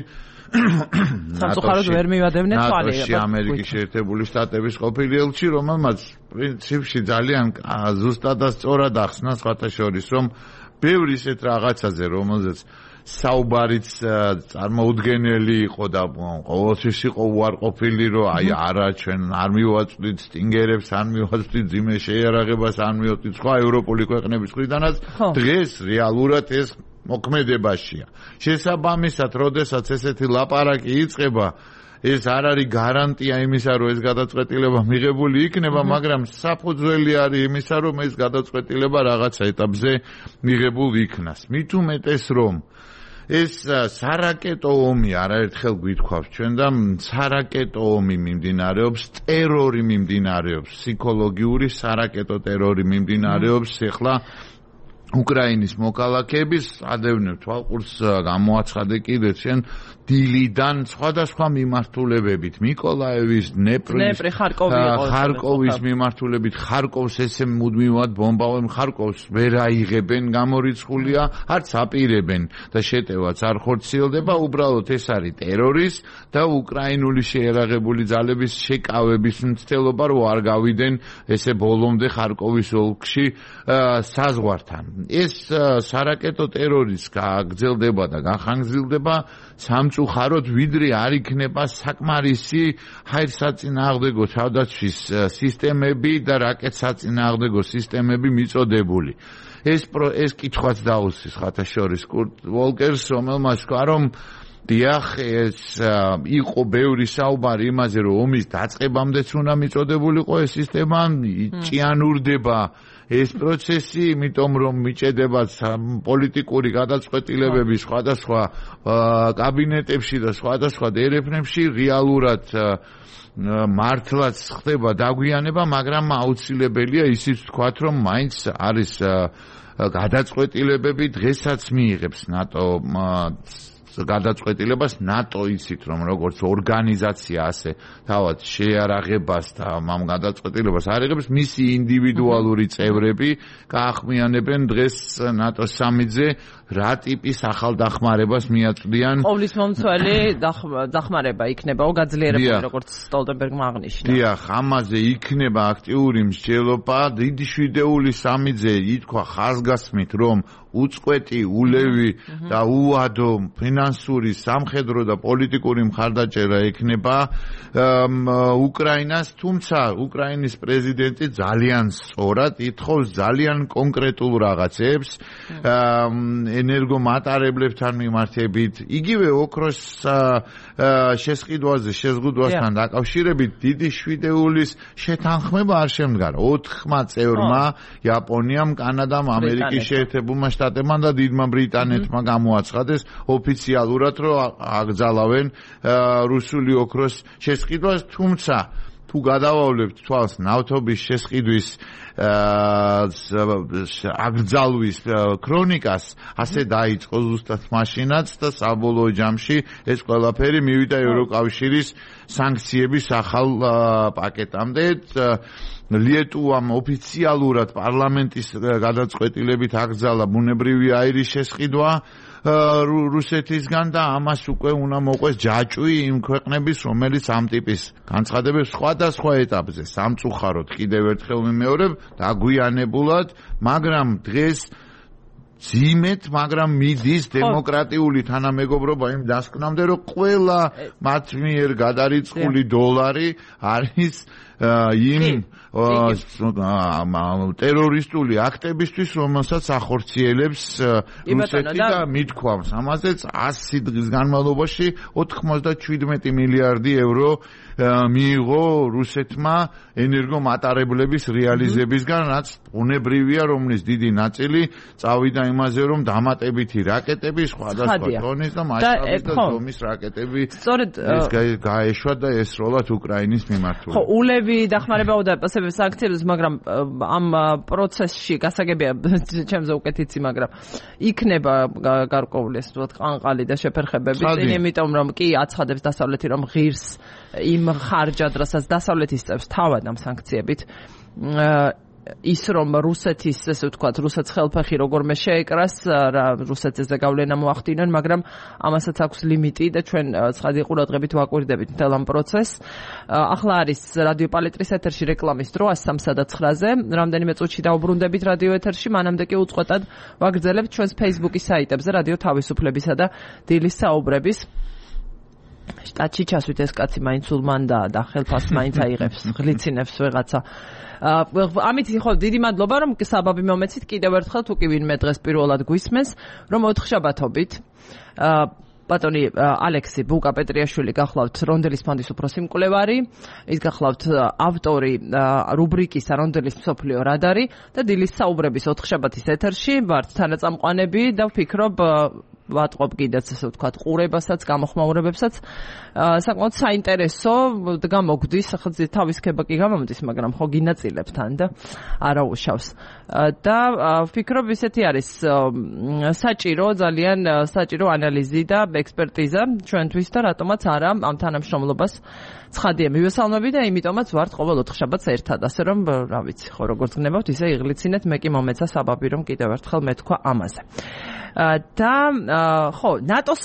სამწუხაროდ ვერ მივადევნეთ თვალე. ნატოში ამერიკის შეერთებული შტატების ყოფილი ელჩი, რომელმაც პრინციპში ძალიან ზუსტად და სწორად ახსნა სხვათა შორის, რომ ბევრი ისეთ რაღაცაზე, რომელზეც საუბარიც წარმოუდგენელი იყო და ყოველთვის იყო უარყოფილი, რომ აი არა, ჩვენ არ მივაწვდით სტინგერებს, არ მივაწვდით ძიმე შეიარაღებას, არ მივაწვდით სხვა ევროპული ქვეყნების მხრიდანაც. დღეს რეალურად ეს მოქმედებაშია. შესაბამისად, როდესაც ესეთი ლაპარაკი იწყება, ეს არ არის გარანტია იმისა, რომ ეს გადაწყვეტილება მიღებული იქნება, მაგრამ საფუძველი არის იმისა, რომ ეს გადაწყვეტილება რაღაცა ეტაპზე მიღებულ იქნას. მით უმეტეს, რომ ეს სარაკეტო ომი არაერთხელ გვითქვავს ჩვენ და სარაკეტო ომი მიმდინარეობს, ტერორი მიმდინარეობს, ფსიქოლოგიური სარაკეტო ტერორი მიმდინარეობს. ეხლა უკრაინის მოქალაქეების ადევნებ თვალყურს გამოაცხადე კიდე ჩვენ დილიდან სხვადასხვა მიმართულებებით, მიკოლაევის, დნეპრის, ხარკოვის მიმართულებით, ხარკოვს ესე მუდმივად ბომბავენ, ხარკოვს ვერ აიღებენ, გამორიცხულია, არც აპირებენ და შეტევაც არ ხორციელდება, უბრალოდ ეს არის ტერორის და უკრაინული შეერაღებული ძალების შეკავების მცდელობა, რომ არ გავიდნენ ესე ბოლომდე ხარკოვის ოლქში საზღვართან. ეს სარაკეტო ტერორის გაგრძელდება და გახანგრძლივდება სამწუხაროდ, ვიდრე არ იქნება საკმარისი ჰაერსაწინააღმდეგო თავდაცვის სისტემები და რაკეტსაწინააღმდეგო სისტემები მიწოდებული. ეს კითხვაც დაუსვის ხათა შორის კურტ ვოლკერს, რომელმაც თქვა, რომ დიახ, ეს იყო ბევრი საუბარი იმაზე, რომ ომის დაწყებამდეც უნდა მიწოდებულიყო ეს სისტემა, ჭიანურდება ეს პროცესი, იმიტომ რომ მიჭედება პოლიტიკური გადაწყვეტილებები სხვადასხვა კაბინეტებში და სხვადასხვა დერეფნებში რეალურად მართლაც ხდება დაგვიანება, მაგრამ აუცილებელია ისიც ვთქვათ, რომ მაინც არის გადაწყვეტილებები დღესაც მიიღებს ნატო გადაწყვეტილებას ნატო იცით რომ როგორც ორგანიზაცია ასე თავად შეარაღებას და ამ გადაწყვეტილებას არიღებს მისი ინდივიდუალური წევრები გაახმიანებენ დღეს ნატოს სამიტზე რა ტიპის ახალ დახმარებას მიაწვდიან ყოვლის მომცველი დახმარება იქნებაო გაძლიერებული როგორც სტოლტენბერგმა აღნიშნა დიახ ამაზე იქნება აქტიური მსჯელობა დიდი შვიდეული სამიტზე ითქვა ხაზგასმით რომ უწყვეტი ულევი და უადო ფინანსური სამხედრო და პოლიტიკური მხარდაჭერა ექნება უკრაინას თუმცა უკრაინის პრეზიდენტი ძალიან სწორად ითხოვს ძალიან კონკრეტულ რაღაცებს ენერგომატარებლებთან მიმართებით იგივე ოქროს შეზღუდვასთან დაკავშირებით დიდი შვიდეულის შეთანხმება არ შემდგარა 4 წევრმა იაპონიამ კანადამ ამერიკის შეერთებულმა შტატებმა და დიდმა ბრიტანეთმა გამოაცხადეს ოფიციალურად რომ აკრძალავენ რუსული ოქროს შესყიდვას თუმცა თუ გადავავლებთ თვალს ნავთობის შესყიდვის აკრძალვის ქრონიკას ასე დაიწყო ზუსტად მაშინაც და საბოლოო ჯამში ეს ყველაფერი მივიდა ევროკავშირის სანქციების ახალ პაკეტამდე ლიეტუვამ ოფიციალურად პარლამენტის გადაწყვეტილებით აკრძალა ბუნებრივი აირის შესყიდვა რუსეთისგან და ამას უკვე უნდა მოყვეს ჯაჭვი იმ ქვეყნების რომელიც ამ ტიპის განცხადებებს სხვადასხვა ეტაპზე სამწუხაროდ კიდევ ერთხელ მიმეორებ დაგვიანებულად მაგრამ დღეს ძიმეთ მაგრამ მიდის დემოკრატიული თანამეგობრობა იმ დასკვნამდე რომ ყველა მათ მიერ გადარიცხული დოლარი არის იმ ტერორისტული აქტებისთვის, რომელსაც ახორციელებს რუსეთი და მithქვამს. ამაზეც 100 დღის განმავლობაში 97 მილიარდი ევრო მიიღო რუსეთმა ენერგომატარებლების რეალიზებისგან, რაც უნებრივია, რომლის დიდი ნაწილი წავიდა იმაზე, რომ დამატებითი რაკეტები, სხვადასხვა ტონის და მასშტაბის და ზომის რაკეტები გაეშვა და ესროლათ უკრაინის მიმართულებით. ხო, ულევი დახმარებაო და სანქციებს, მაგრამ ამ პროცესში გასაგებია ჩემზე უკეთ იცი, მაგრამ იქნება გარკვეული ეს ვთქვათ ყანყალი და შეფერხებები, იმიტომ რომ კი აცხადებს დასავლეთი რომ ღირს იმ ხარჯად, რასაც დასავლეთის წევს თავად ამ სანქციებით ის რომ რუსეთის ესე ვთქვათ რუსეთს ხელფეხი როგორმე შეეკრას რუსეთზე გავლენა მოახდინონ მაგრამ ამასაც აქვს ლიმიტი და ჩვენ ცხადი ყურადღებით ვაკვირდებით მთელ ამ პროცესს ახლა არის რადიო პალეტრის ეთერში რეკლამის დრო 103-ზე რამდენიმე წუთში დაუბრუნდებით რადიო ეთერში მანამდე კი უწყოტად ვაგრძელებთ ჩვენს Facebook-ის საიტებზე რადიო თავისუფლებისა და დილის საუბრების შტატში ჩასვით ეს კაცი მაინც ულმანდა და ხელფასს მაინც აიღებს ღლიცინებს ვეღაცა ამით ხო დიდი მადლობა რომ საბაბი მომეცით კიდევ ერთხელ თუ კი ვინმე დღეს პირველად გვისმენს რომ 4 შაბათობით ბატონი ალექსი ბუკა-პეტრიაშვილი გახლავთ რონდელის ფონდის უფროსი მკვლევარი ის გახლავთ ავტორი რუბრიკისა რონდელის მსოფლიო რადარი და დილის საუბრების 4 შაბათის ეთერში ვართ თანაწამყვანები და ვფიქრობ ვატყობ კიდეც ასე ვთქვათ ყურებასაც გამოხმაურებებსაც საკმაოდ საინტერესო გამოგდის ახლა თავის ქება კი გამომდის მაგრამ ხო გინაწილებს თან და არაუშავს და ვფიქრობ ისეთი არის საჭირო ძალიან საჭირო ანალიზი და ექსპერტიზა ჩვენთვის და რატომაც არა ამ თანამშრომლობას ცხადია მივესალმები და იმიტომაც ვართ ყოველ 4 შაბათს ერთად ასე რომ რა ვიცი ხო როგორც გნებავთ ისე იღლიცინეთ მე კი მომეცა საბაბი რომ კიდევ ერთხელ მეთქვა ამაზე და ხო ნატოს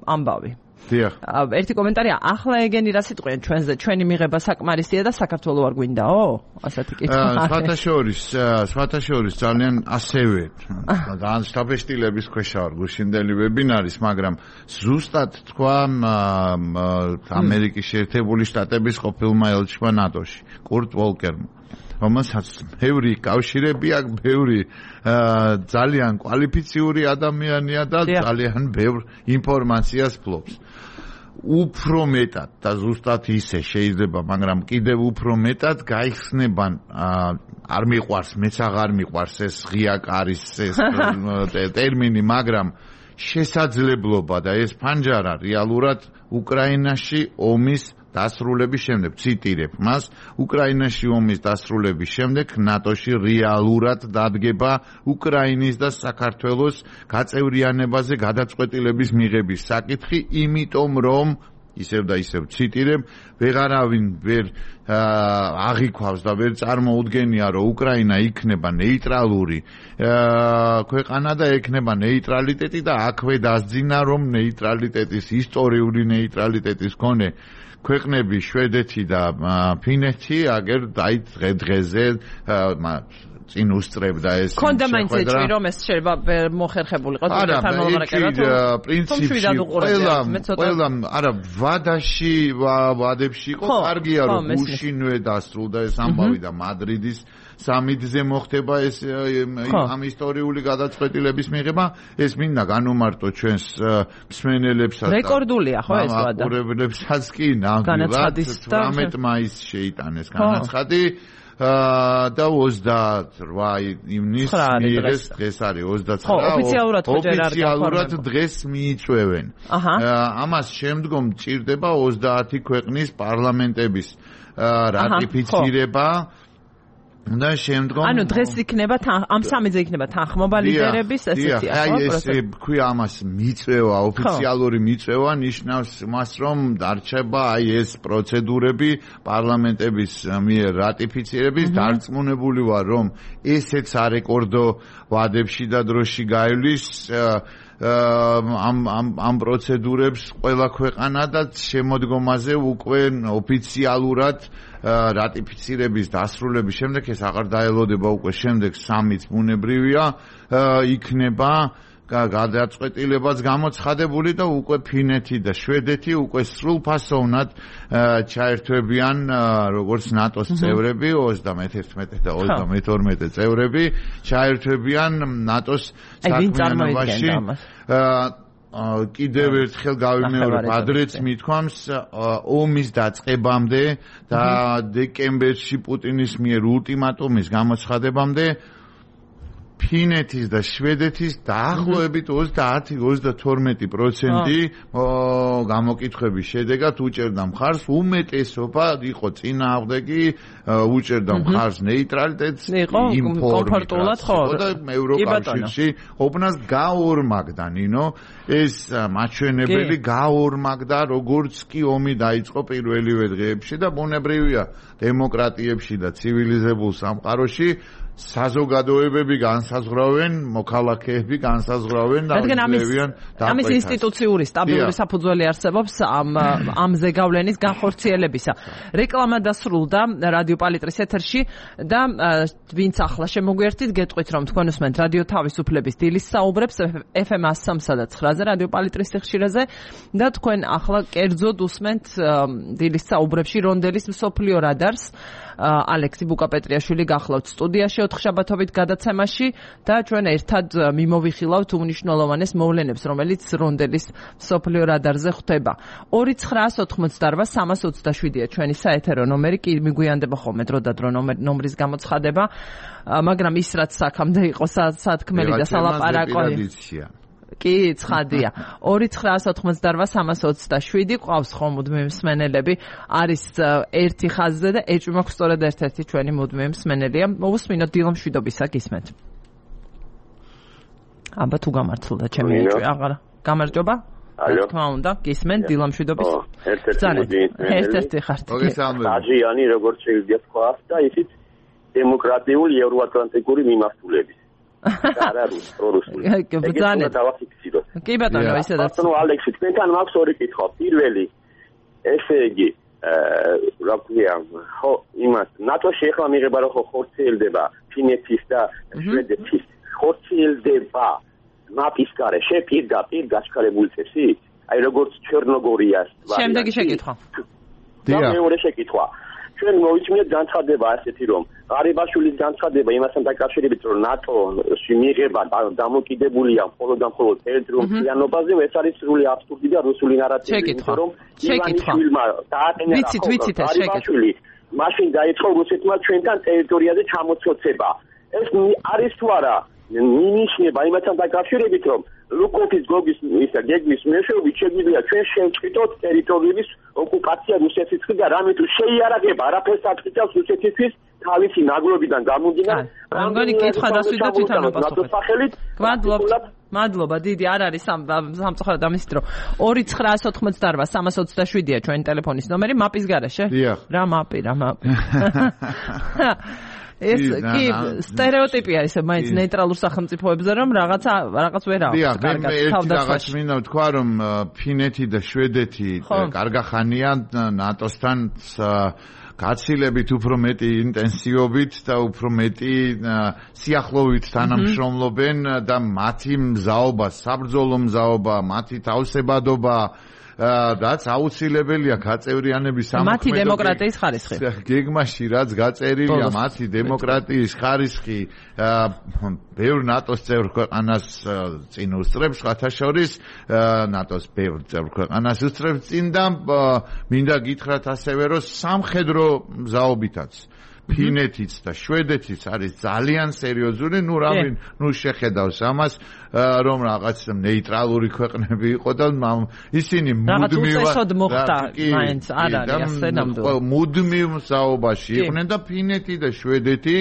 ამბავი დიახ ერთი კომენტარია ახლა ეგენი რა სიტყვიან ჩვენზე ჩვენი მიღება საკმარისია და საქართველოს არ გვინდაო ასეთი კითხვა სხვათა შორის ძალიან ასევე ძალიან სტაბილიზების ქვეშ ვარ გუშინდელი ვებინარის მაგრამ ზუსტად თქვა ამერიკის შეერთებული შტატების ყოფილმა ელჩმა ნატოში კურტ ვოლკერმა რომელსაც ბევრი კავშირები აქვს, ბევრი ძალიან კვალიფიციური ადამიანია და ძალიან ბევრ ინფორმაციას ფლობს. უფრო მეტად და ზუსტად ისე შეიძლება, მაგრამ კიდევ უფრო მეტად გაიხსნება არ მიყვარს, მეც აღარ მიყვარს ეს ღია კარის ეს ტერმინი, მაგრამ შესაძლებლობა და ეს ფანჯარა რეალურად უკრაინაში ომის დასრულების შემდეგ, ციტირებ მას, უკრაინაში ომის დასრულების შემდეგ ნატოში რეალურად დადგება უკრაინის და საქართველოს გაწევრიანებაზე გადაწყვეტილების მიღების საკითხი, იმიტომ რომ ისევ და ისევ ციტირებ, ვეღარავინ ვერ აღიქვავს და ვერ წარმოუდგენია, რომ უკრაინა იქნება ნეიტრალური ქვეყანა და ექნება ნეიტრალიტეტი და აქვე დასძინა, რომ ნეიტრალიტეტის ისტორიული ნეიტრალიტეტის მქონე ქვეყნები შვედეთი და ფინეთი აგერ დღე-დღეზე წინ უსწრებდა ეს კონდა მაინც ეჭვი რომ ეს შეიძლება მოხერხებულიყო თვითონ მოლაპარაკება თუ პრინციპში ყველა არა ვადებში იყო კარგია რომ გუშინვე დასრულდა ეს ამბავი და მადრიდის სამიტზე მოხდება ეს ამ ისტორიული გადაწყვეტილების მიღება ეს მინდა განუმარტო ჩვენს მსმენელებსაც რეკორდულია ხო ეს ვადა ყურებლებსაც კი ნამდვილად 18 მაისს შეიტანეს განაცხადი და 28 ივნისს დღეს არის 29 ოფიციალურად დღეს მიიწვევენ ამას შემდგომ ჭირდება 30 ქვეყნის პარლამენტების რატიფიცირება და შემდგომ ანუ დღეს იქნება ამ სამეზე იქნება თანხმობა ლიდერების ესეთი აი ეს ქვია ამას მიწვევა ოფიციალური მიწვევა ნიშნავს მას რომ დარჩება აი ეს პროცედურები პარლამენტების მიერ რატიფიცირების დარწმუნებული ვარ რომ ესეც არეკორდო ვადებში და დროში გაივლის ამ პროცედურებს ყველა ქვეყანა და შემოდგომაზე უკვე ოფიციალურად რატიფიცირების დასრულების შემდეგ ეს აღარ დაელოდება უკვე შემდეგ სამიც ბუნებრივია იქნება გადაწყვეტილებაც გამოცხადებული და უკვე ფინეთი და შვედეთი უკვე სრულფასოვნად ჩაერთვებიან როგორც ნატოს წევრები 31 და 32 წევრები ჩაერთვებიან ნატოს საქმიანობაში კიდევ ერთხელ გავიმეორებ ადრეც მithქვამს ომის დაწყებამდე და დეკემბერში პუტინის მიერ ულტიმატუმის გამოცხადებამდე ფინეთის და შვედეთის დაახლოებით 30-32% გამოკითხვების შედეგად უჭერდა მხარს უმეტესობა იყო წინააღმდეგი უჭერდა მხარს ნეიტრალიტეტს კომფორტულად ხო და ევროკავშირში ყოფნას გაორმაგდა ნინო ეს მაჩვენებელი გაორმაგდა როგორც კი ომი დაიწყო პირველივე დღეებში და ბუნებრივია დემოკრატიებში და ცივილიზებულ სამყაროში საზოგადოებები განსაზღვრავენ, მოქალაქეები განსაზღვრავენ და ამის ინსტიტუციური სტაბილური საფუძველი არსებობს ამ ზეგავლენის განხორციელებისა. რეკლამა დასრულდა რადიო პალიტრის ეთერში და ვინც ახლა შემოგვიერთით, გეტყვით რომ თქვენ უსმენთ რადიო თავისუფლების დილის საუბრებს FM 103 და 9-ზე რადიო პალიტრის სიხშირეზე და თქვენ ახლა კერძოდ უსმენთ დილის საუბრებში რონდელის მსოფლიო რადარს ალექსი ბუკაპეტრიაშვილი გახლავთ სტუდიაში 4 შაბათობით გადაცემაში და ჩვენ ერთად მიმოვიხილავთ უმნიშვნელოვანეს მოვლენებს, რომელიც რონდელის მსოფლიო რადარზე ხვდება. 2988-327-ია ჩვენი საეთერო ნომერი, კი მიგვიანდება ხოლმე დრო და დრო ნომრის გამოცხადება, მაგრამ ის რაც აქამდე იყო სათქმელი და სალაპარაკო კი, ცხადია. 2988-327 ყავს ხომ მუდმივი მსმენელები, არის ერთი ხაზზე და ეჭვი მაქვს სწორედ ერთ-ერთი ჩვენი მუდმივი მსმენელია. მოვუსმინოთ დილამშვიდობისა გისმენთ. აბა თუ გამართლდა ჩემი ეჭვი, აღარ გამარჯობა? ალო. თქმა უნდა, გისმენთ დილამშვიდობის. ერთ-ერთი ხართ. აჟიანი როგორც შეიძლება თქვა და ისიც დემოკრატიული ევროატლანტიკური მიმართულების. არარუს პრორუსული. კი ბატონო, ისედაც. ბატონო ალექსი, თქვენთან მაქვს ორი კითხვა. პირველი, ესე იგი, რა ქვია, ხო, იმას, ნატოში ახლა მიღება რომ ხორციელდება ფინეთის და შვედეთის, ხორციელდება მაპის გარე, პირდაპირ გაჩქარებული წესით? აი როგორც ჩერნოგორიას. შემდეგი შეკითხვა. და მეორე შეკითხვა. ჩვენ მოვიწმინეთ განცხადება ასეთი რომ ღარიბაშვილის განცხადება იმასთან დაკავშირებით რომ ნატოში მიღება დამოკიდებულია მხოლოდ და მხოლოდ ტერიტორიულ მთლიანობაზე ეს არის სრული აბსურდი და რუსული ნარატივი იმიტომ რომ ივანიშვილმა დააყენა ღარიბაშვილი მაშინ დაიწყო რუსეთმა ჩვენთან ტერიტორიაზე ჩამოცოცება ეს არის თუ არა მინიშნება იმასთან დაკავშირებით რომ ლუკოვის გოგის ისა გეგმის მეშვეობით შეგვიძლია ჩვენ შევწყვიტოთ ტერიტორიების ოკუპაცია რუსეთის მხრიდან რამე თუ შეიარაღება არაფერს აწყვეტავს რუსეთისთვის თავისი ნაგლობიდან გამომდინარე რამდენი კითხვა დასვიდეთ ვითარმა პასუხი მადლობა დიდი არ არის სამწუხაროდ ამის დრო 2988-327-ია ჩვენი ტელეფონის ნომერი მაპის garaშე რა მაპი ეს კი სტერეოტიპია ესე მაინც ნეიტრალურ სახელმწიფოებზე რომ რაღაც ვერ აქვს კარგად რაღაც მინდა ვთქვა რომ ფინეთი და შვედეთი კარგახანია ნატოსთან გაცილებით უფრო მეტი ინტენსივობით და უფრო მეტი სიახლოვით თანამშრომლობენ და მათი მზაობა საბრძოლო მზაობა მათი თავსებადობა რაც აუცილებელია გაწევრიანების სამხედრო მათი დემოკრატიის ხარისხი გეგმაში რაც გაწერილია მათი დემოკრატიის ხარისხი ბევრ ნატოს წევრ ქვეყანას წინ უსწრებს ხათაშორის ნატოს ბევრ წევრ ქვეყანას უსწრებს წინ და მინდა გითხრათ ასევე რომ სამხედრო მზაობითაც ფინეთიც და შვედეთიც არის ძალიან სერიოზული, ნუ შეხედავს ამას, რომ რაღაც ნეიტრალური ქვეყნები იყო და ისინი მუდმივ მსაუბაში იყვნენ და ფინეთი და შვედეთი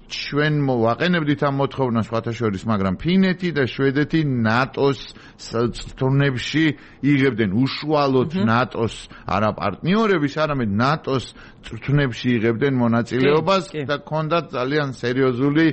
ჩვენ ვაყენებდით ამ მოთხოვნას სხვათაშორის, მაგრამ ფინეთი და შვედეთი ნატოს წრთნებში იღებდნენ უშუალოდ ნატოს არა პარტნიორების, არამედ ნატოს წრთნებში იღებდნენ მონაწილეობას და ჰქონდათ ძალიან სერიოზული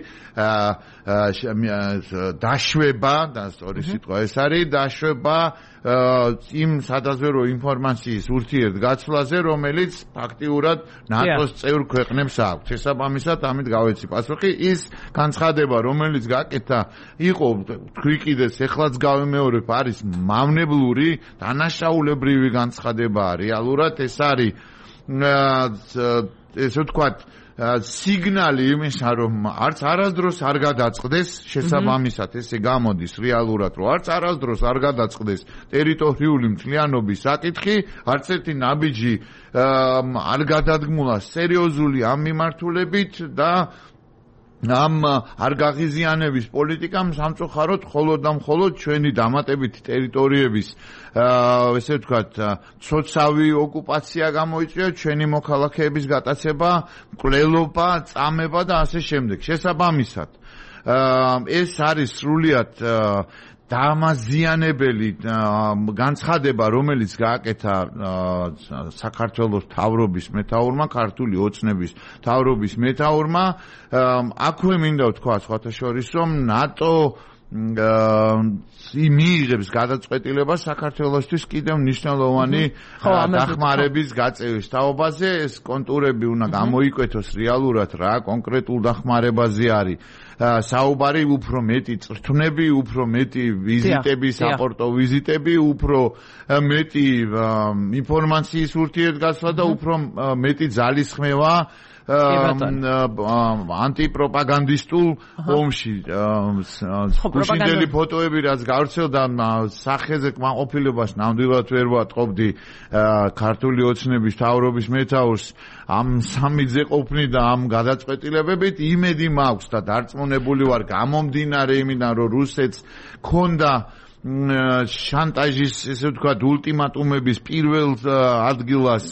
დაშვება და სწორი სიტყვა ეს არის დაშვება იმ სადაზვერო ინფორმაციის ურთიერთგაცვლაზე, რომელიც ფაქტიურად ნატოს წევრ ქვეყნებს აქვს. შესაბამისად, ამით გავეცი პასუხი. ის განცხადება, რომელიც გაკეთა, იყო თქვი კიდეც ეხლაც გავემეორებ, არის მავნებლური, დანაშაულებრივი განცხადება. რეალურად ეს არის ესე ვთქვათ სიგნალი იმისა, რომ არც არასდროს არ გადაწყდეს შესაბამისად ესე გამოდის რეალურად, რომ არც არასდროს არ გადაწყდეს ტერიტორიული მთლიანობის საკითხი, არც ერთი ნაბიჯი არ გადადგმულა სერიოზული ამ მიმართულებით და ამ არ გაღიზიანების პოლიტიკამ სამწუხაროდ მხოლოდ და მხოლოდ ჩვენი დამატებითი ტერიტორიების ესე ვთქვათ ცოცავი ოკუპაცია გამოიწვია, ჩვენი მოქალაქეების გატაცება, მკვლელობა, წამება და ასე შემდეგ. შესაბამისად ეს არის სრულიად დამაზიანებელი განცხადება, რომელიც გააკეთა საქართველოს მთავრობის მეთაურმა, ქართული ოცნების მთავრობის მეთაურმა. აქვე მინდა ვთქვა სხვათა შორის, რომ ნატო მიიღებს გადაწყვეტილებას საქართველოსთვის კიდევ მნიშვნელოვანი დახმარების გაწევის თაობაზე. ეს კონტურები უნდა გამოიკვეთოს რეალურად რა კონკრეტულ დახმარებაზე არის საუბარი, უფრო მეტი წრთნები, უფრო მეტი ვიზიტები, საპორტო ვიზიტები, უფრო მეტი ინფორმაციის ურთიერთგაცვლა და უფრო მეტი ძალისხმევა ანტიპროპაგანდისტულ ომში. გუშინდელი ფოტოები რაც გავრცელდა სახეზე კმაყოფილებას ნამდვილად ვერ ვატყობდი ქართული ოცნების მთავრობის მეთაურს ამ სამიძე ყოფნი და ამ გადაწყვეტილებებით. იმედი მაქვს და დარწმუნებული ვარ გამომდინარე იმიდან, რომ რუსეთს ქონდა შანტაჟის ესე ვთქვათ ულტიმატუმების პირველ ადგილას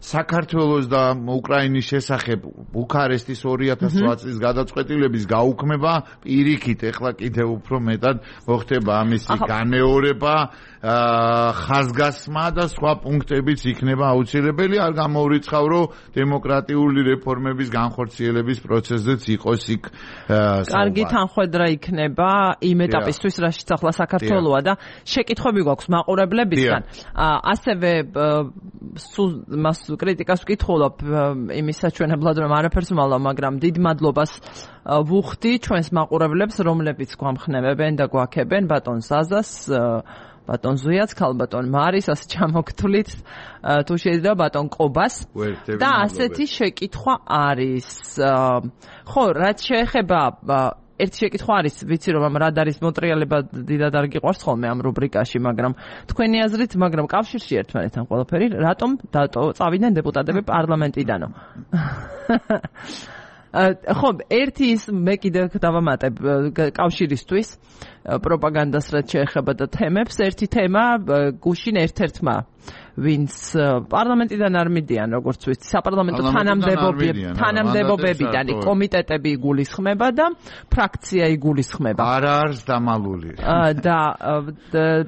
საქართველოს და უკრაინის შესახებ ბუქარესტის 2008 წლის გადაწყვეტილების გაუქმება პირიქით ეხლა კიდევ უფრო მეტად მოხდება ამისი განეორება, ხაზგასმა და სხვა პუნქტებიც იქნება აუცილებელი. არ გამოურიცხავ, რომ დემოკრატიული რეფორმების განხორციელების პროცესზეც იყოს იქ კარგი თანხმედრა იქნება იმ ეტაპისთვის, რაშიც ახლა საქართველო და შეკითხვები გვაქვს მაყურებლებისგან. ასევე მას კრიტიკას ვკითხულობ იმის საჩვენებლად, რომ არაფერს ვალავ, მაგრამ დიდ მადლობას ვუხდი ჩვენს მაყურებლებს, რომლებიც გვამხნევებენ და გვაქებენ, ბატონ ზაზას, ბატონ ზუიაც, ქალბატონ მარის, ასე ჩამოგთვლით, თუ შეიძლება ბატონ ყობას და ასეთი შეკითხვა არის. ხო, რაც შეეხება ერთი შეკითხვა არის, ვიცი რომ ამ რადარის მოტრიალება დიდად არ გიყვარს ხოლმე ამ რუბრიკაში, მაგრამ თქვენი აზრით, მაგრამ კავშირში ერთმანეთთან ყველაფერი, რატომ წავიდნენ დეპუტატები პარლამენტიდანო? ხო, ერთი ის მე კიდევ დავამატებ კავშირისთვის პროპაგანდას რაც შეეხება და თემებს, ერთი თემა გუშინ ერთ-ერთმა ვინც პარლამენტიდან არ მიდიან, როგორც ვიცი, საპარლამენტო თანამდებობებიდან კომიტეტები იგულისხმება და ფრაქცია იგულისხმება. არა არის დამალული. და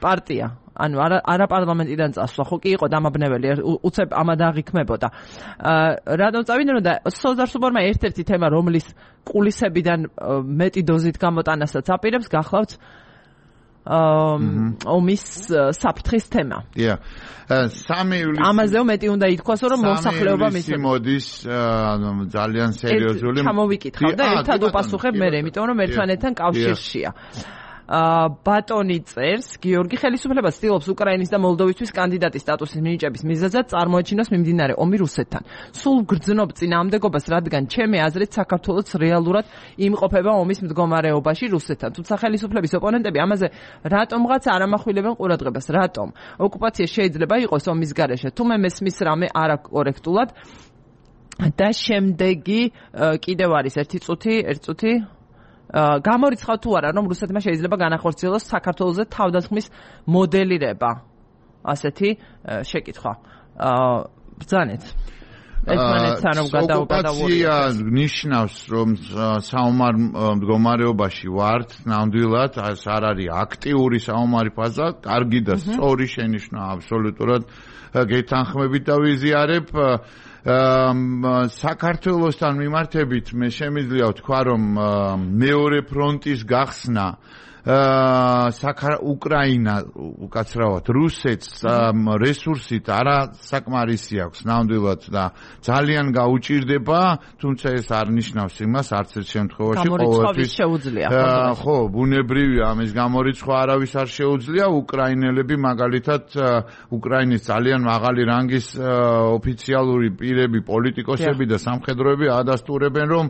პარტია ანუ არა პარლამენტიდან წასვლა, ხო კი იყო დამაბნეველი, უცებ ამად აღიქმებოდა. რადგან წავიდნენ და სოზარ სუბორმა ერთ-ერთი თემა, რომლის კულისებიდან მეტი დოზით გამოტანასაც აპირებს, გახლავთ ომის საფრთხის თემა. დიახ. 3 ივლისი ამაზეო მეტი უნდა ითქვას, რომ მოსახლეობა მოდის ძალიან სერიოზული. ჩამოვიკითხავ და ერთად უპასუხებ მე, იმიტომ რომ ერთმანეთთან კავშირშია. ბატონი წერს, გიორგი ხელისუფლება ცდილობს უკრაინის და მოლდოვისთვის კანდიდატის სტატუსის მინიჭების მიზეზად წარმოაჩინოს მიმდინარე ომი რუსეთთან. სულ გრძნობ წინააღმდეგობას, რადგან ჩემი აზრით საქართველოც რეალურად იმყოფება ომის მდგომარეობაში რუსეთთან. თუმცა ხელისუფლების ოპონენტები ამაზე რატომღაც არ ამახვილებენ ყურადღებას. რატომ? ოკუპაცია შეიძლება იყოს ომის გარეშე. თუ მე მესმის რამე არაკორექტულად და შემდეგი კიდევ არის ერთი წუთი გამორიცხავ თუ არა, რომ რუსეთმა შეიძლება განახორციელოს საქართველოზე თავდასხმის მოდელირება. ასეთი შეკითხვა. ბრძანეთ. ერთმანეთთან რომ ოკუპაცია ნიშნავს, რომ საომარ მდგომარეობაში ვართ, ნამდვილად, ეს არ არის აქტიური საომარი ფაზა, კარგი და სწორი შენიშვნა აბსოლუტურად გეთანხმებით და ვიზიარებ. საქართველოსთან მიმართებით მე შემიძლია ვთქვა, რომ მეორე ფრონტის გახსნა უკრაინა უკაცრავად რუსეთს რესურსით არა საკმარისი აქვს ნამდვილად და ძალიან გაუჭირდება, თუმცა ეს არ ნიშნავს იმას არც ერთ შემთხვევაში ყოველთვის შეუძლია. ხო, ბუნებრივია ამის გამორიცხვა არავის არ შეუძლია. უკრაინელები მაგალითად უკრაინის ძალიან მაღალი რანგის ოფიციალური პირები, პოლიტიკოსები და სამხედროები ადასტურებენ, რომ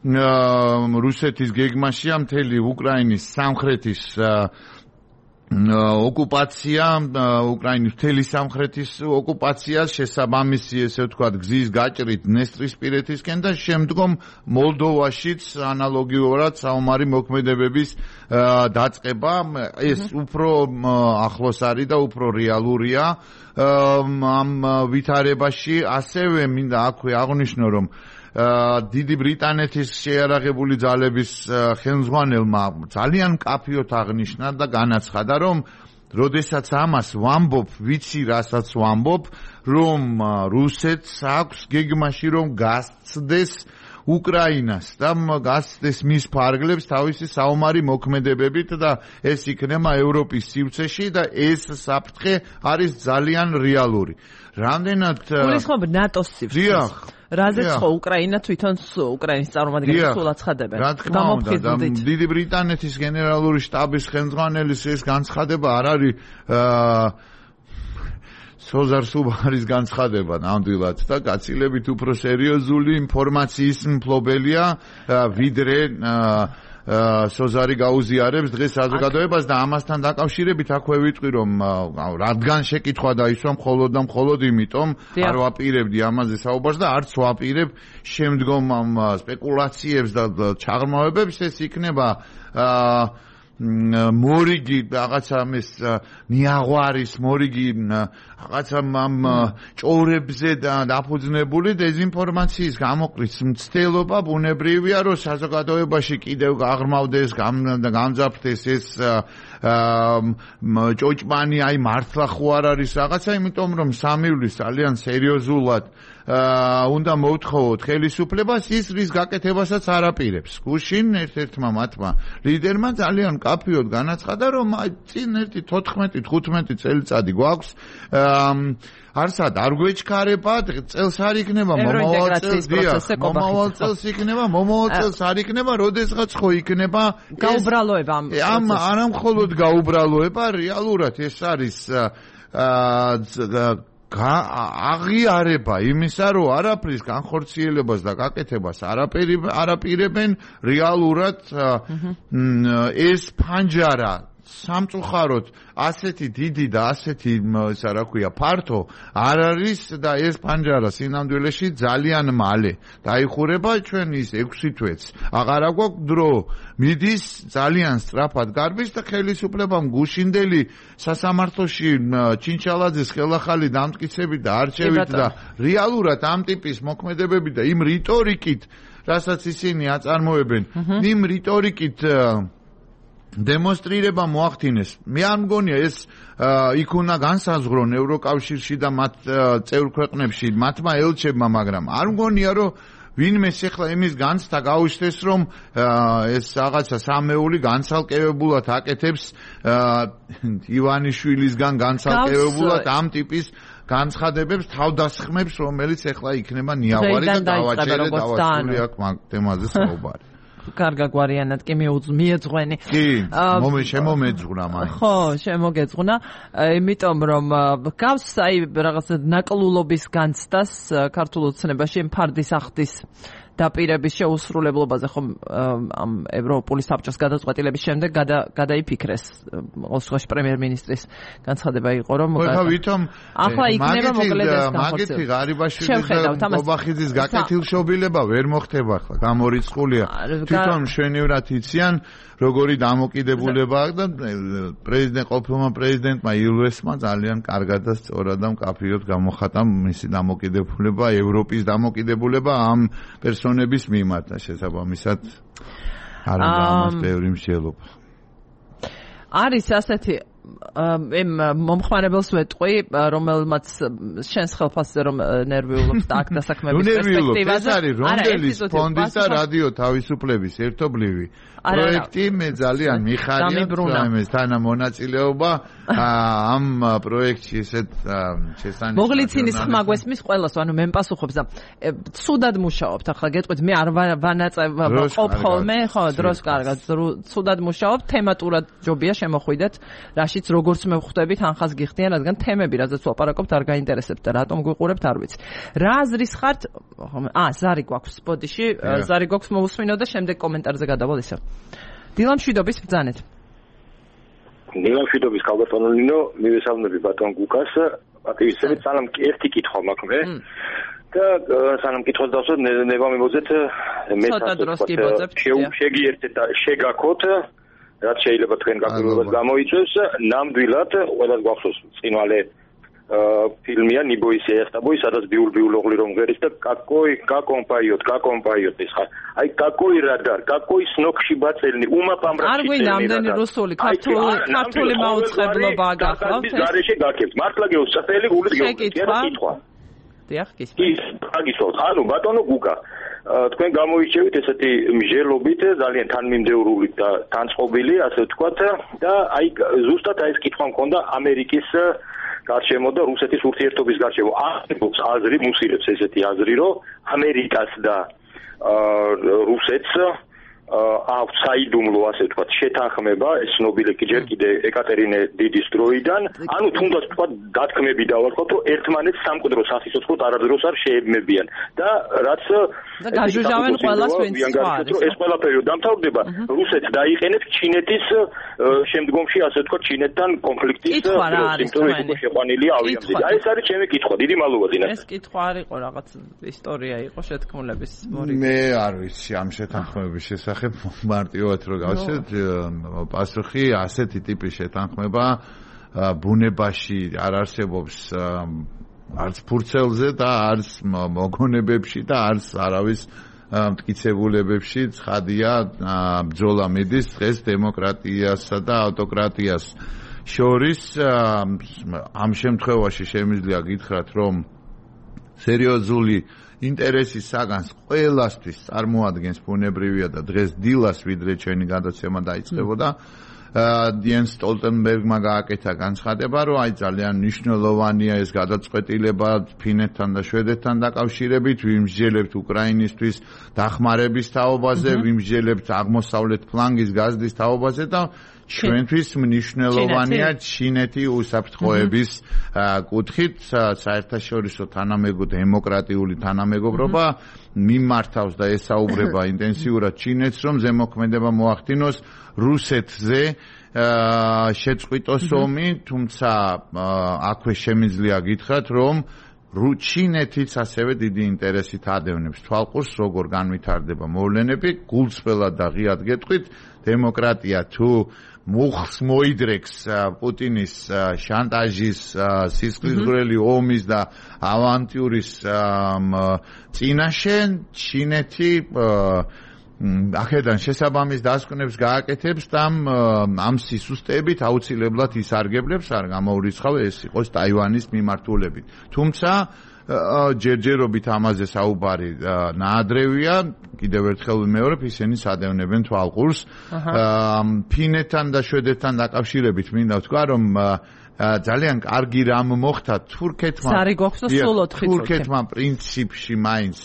რუსეთის გეგმაშია მთელი უკრაინის სამხრეთის ოკუპაცია, უკრაინის მთელი სამხრეთის ოკუპაცია, შესაბამისი ესე ვთქვათ გზის გაჭრით დნესტრისპირეთისკენ და შემდგომ მოლდოვაშიც ანალოგიურად საომარი მოქმედებების დაწყება. ეს უფრო ახლოს არის და უფრო რეალურია ამ ვითარებაში. ასევე მინდა აქვე აღვნიშნო, რომ დიდი ბრიტანეთის შეიარაღებული ძალების ხელმძღვანელმა ძალიან მკაფიოდ აღნიშნა და განაცხადა, რომ როდესაც ამას ვამბობ, ვიცი რასაც ვამბობ, რომ რუსეთს აქვს გეგმაში რომ გასცდეს უკრაინას და გასცდეს მის ფარგლებს თავისი საომარი მოქმედებებით და ეს იქნება ევროპის სივრცეში და ეს საფრთხე არის ძალიან რეალური. რამდენად გულისხმობ ნატოს სივრცეს. დიახ. რაზეც ხო უკრაინა თვითონ უკრაინის წარმომადგენლებს სულ აცხადებენ. რა თქმა უნდა, დიდი ბრიტანეთის გენერალური შტაბის ხელმძღვანელის ეს განცხადება არ არის სოზარ სუბარის განცხადება ნამდვილად და გაცილებით უფრო სერიოზული ინფორმაციის მფლობელია ვიდრე სოზარი გაუზიარებს დღეს საზოგადოებას და ამასთან დაკავშირებით აქვე ვიტყვი, რომ რადგან შეკითხვა დაისვა მხოლოდ და მხოლოდ იმიტომ არ ვაპირებდი ამაზე საუბარს და არც ვაპირებ შემდგომ ამ სპეკულაციებს და ჩაღრმავებებს. ეს იქნება მორიგი რაღაცა ამის მიაღვარის მორიგი რაღაცა ამ ჭორებზე და დაფუძნებული დეზინფორმაციის გამოყრის მცდელობა ბუნებრივია, რომ საზოგადოებაში კიდევ გაღრმავდეს, გამძაფრდეს ეს ჭოჭმანი, აი მართლა ხო არ არის რაღაცა, იმიტომ რომ 3 ივლისს ძალიან სერიოზულად უნდა მოვთხოვოთ ხელისუფლებას ის რის გაკეთებასაც არ აპირებს. გუშინ ერთ-ერთმა მათმა ლიდერმა ძალიან მკაფიოდ განაცხადა, რომ წინ ერთი 14-15 წელიწადი გვაქვს არსად არ გვეჩქარება, წელს არ იქნება, მომავალ წელს იქნება, მომავალ წელს არ იქნება, როდესაც ხო იქნება გაუბრალოება არ მხოლოდ გაუბრალოება, რეალურად ეს არის აღიარება იმისა, რომ არაფრის განხორციელებას და გაკეთებას არაპირებენ რეალურად ეს ფანჯარა სამწუხაროდ ასეთი დიდი და ასეთი ფართო არ არის და ეს ფანჯარა სინამდვილეში ძალიან მალე დაიხურება ჩვენ ის 6 თვეც აღარა გვაქვს დრო მიდის ძალიან სწრაფად გარბის და ხელისუფლებამ გუშინდელი სასამართლოში ჩინჩალაძის ხელახალი დამტკიცებით და არჩევით და რეალურად ამ ტიპის მოქმედებები და იმ რიტორიკით რასაც ისინი აწარმოებენ იმ რიტორიკით დემონსტრირება მოახდინეს. მე არ მგონია ეს იქ უნდა განსაზღვრონ ევროკავშირში და მათ წევრ ქვეყნებში მათმა ელჩებმა, მაგრამ არ მგონია რომ ვინმეს ახლა იმის განცდა გაუჩნდეს რომ ეს რაღაცა სამეული განცალკევებულად აკეთებს ივანიშვილისგან განცალკევებულად ამ ტიპის განცხადებებს თავდასხმებს, რომელიც ახლა იქნება ნიავარი და დავაჭერე აქ თემაზე საუბარი. კარგა გვარიანად კი მიეძღვენი. კი, შემომეძღვნა მაინც. ხო, შემოგეძღვნა, იმიტომ რომ გავს აი რაღაცა ნაკლულობის განცდას ქართულ ოცნებაში ფარდის ახდის დაპირების შეუსრულებლობაზე ხომ ამ ევროპული საბჭოს გადაწყვეტილების შემდეგ გადაიფიქრეს ოსლოში პრემიერ-მინისტრის განცხადება იყო რომ ახლა იქნება მოკლედ ეს განხორციელება. მაგეთი ღარიბაშვილის და ბობახიძის გაკეთილშობილება ვერ მოხდება ახლა, გამორიცხულია. თვითონ მშვენივრად იციან როგორი დამოკიდებულება აქვს და ყოფილმა პრეზიდენტმა ილვესმა ძალიან კარგად და სწორად და მკაფიოდ გამოხატა მისი დამოკიდებულება, ევროპის დამოკიდებულება ამ პერსონების მიმართ და შესაბამისად არის ამას ბევრი მსჯელობა. არის ასეთი მომხმარებელს ვეტყვი, რომელმაც შენს ხელფასზე რომ ნერვიულობს და აქ დასაქმების პერსპექტივაზე. ეს არის რომდელის ფონდის და რადიო თავისუფლების ერთობლივი პროექტი, მე ძალიან მიხარია ამის თანამონაწილეობა ამ პროექტში ესეთ შესანიშნავი. მოგლიცინის ხმა გვესმის ყველას, ანუ მე მპასუხობს და ცუდად მუშაობთ. ახლა გეტყვით, მე არ ვანაწევ ხოლმე, ხო, დროს კარგად, ცუდად მუშაობთ, თემატურად ჯობია შემოხვიდეთ, რაშიც როგორც მე ვხვდებით, ანხას გიხდიან, რადგან თემები, რაზეც ვაპარაკობთ, არ გაინტერესებთ და რატომ გვიყურებთ, არ ვიცი. რა აზრის ხართ? ზარი გვაქვს სპოტიში, ზარი გვაქვს მოусმინო და შემდეგ კომენტარზე გადავალ ისევ. დილამშვიდობის ბრძანეთ. დილამშვიდობის ქალბატონო, მივესალმები ბატონ გუკას. აკეთებს სალამ ერთი კითხვა მაქვს მე. და სანამ კითხოს დავსვათ, ნება მივუძეთ მე შეგიერთეთ და შეგაქოთ, რაც შეიძლება თქვენ გაგრძელებას გამოიწვევს, ნამდვილად ყველას გვახსოვს წინვალე ფილმია ნიბოის ეახტაბოი, სადაც ბიულ-ბიულ ოღლი რომ ღერის და გაკომპაიოთ ეს ხარ. აი გაკოი რადარ, გაკოი სნოქში ბაწელნი, უმაპამრა. არ გვინდა ამდენი რუსული, ქართული მაუწყებლობა გახლავთ. გარეშე გაკეთებთ. მართლა გეოსწრაფელი გულით გეკითხვა. დიახ, კი. აგისვათ, ანუ ბატონო გუკა, თქვენ გამოიჩევით ესეთი მსჯელობით, ძალიან თანმიმდევრული და თანწყობილი, ასე ვთქვათ, და აი ზუსტად ეს კითხვა მქონდა ამერიკის გარშემო და რუსეთის ურთიერთობის გარშემო. არსებობს აზრი, მუსირებს ესეთი აზრი, რომ ამერიკას და რუსეთს აქვს საიდუმლო, ასე ვთქვათ, შეთანხმება, ეს ცნობილი ჯერ კიდე ეკატერინე დიდის დროიდან, ანუ თუნდაც ვთქვათ, დათქმები დავარქოთ, რომ ერთმანეთს სამკვდრო სასიცოცხლოდ არასდროს არ შეებმებიან და რაც გაჟუჟავენ ყველას ვინც არის. ეს ყველაფერი დამთავრდება, რუსეთს დაიყენებს ჩინეთის შემდგომში, ასე ვთქვათ, ჩინეთთან კონფლიქტის სიმპტომები შეყვანილი ავიამზით. აი ეს არის ჩემი კითხვა, დიდი მადლობა დინას. ეს კითხვა არ იყო რაღაც ისტორია იყო შეთქმულების მორიგი. მე არ ვიცი ამ შეთანხმების შესახებ მარტივად რო გავშეთ პასუხი ასეთი ტიპის შეთანხმება ბუნებაში არ არსებობს არც ფურცელზე და არც მოგონებებში და არც არავის მტკიცებულებებში. ცხადია ბრძოლა მიდის დღეს დემოკრატიასა და ავტოკრატიას შორის. ამ შემთხვევაში შემიძლია გითხრათ რომ სერიოზული ინტერესის საგანს ყველასთვის წარმოადგენს ბუნებრივია და დღეს დილას ვიდრე ჩვენი გადაცემა დაიწყებოდა დიენ სტოლტენბერგმა გააკეთა განცხადება, რომ აი ძალიან მნიშვნელოვანია ეს გადაწყვეტილება ფინეთთან და შვედეთთან დაკავშირებით, ვიმსჯელებთ უკრაინისთვის დახმარების თაობაზე, ვიმსჯელებთ აღმოსავლეთ ფლანგის გაზდის თაობაზე და ჩვენთვის მნიშვნელოვანია ჩინეთი უსაფრთხოების კუთხით საერთაშორისო დემოკრატიული თანამეგობრობა მიმართავს და ესაუბრება ინტენსიურად ჩინეთს, რომ ზემოქმედება მოახდინოს რუსეთზე შეწყვიტოს ომი, თუმცა აქვე შემიძლია გითხრათ, რომ ჩინეთიც ასევე დიდი ინტერესით ადევნებს თვალყურს, როგორ განვითარდება მოვლენები, გულწრფელად და ღიად გეტყვით, დემოკრატია თუ მუხს მოიდრეკს პუტინის შანტაჟის, სისხლისღვრელი ომის და ავანტიურის წინაშე ჩინეთი აქედან შესაბამის დასკვნებს გააკეთებს და ამ სისუსტეებით აუცილებლად ისარგებლებს, არ გამოურიცხავ ეს იყოს ტაივანის მიმართულებით. თუმცა ჯერჯერობით ამაზე საუბარი ნაადრევია, კიდევ ერთხელ ვიმეორებ, ისინი სადევნებენ თვალყურს. ფინეთთან და შვედეთთან დაკავშირებით მინდა ვთქვა, რომ ძალიან კარგი რამ მოხდა თურქეთმა. სარი გვაქვს და სულ 4 თურქეთმა პრინციპში მაინც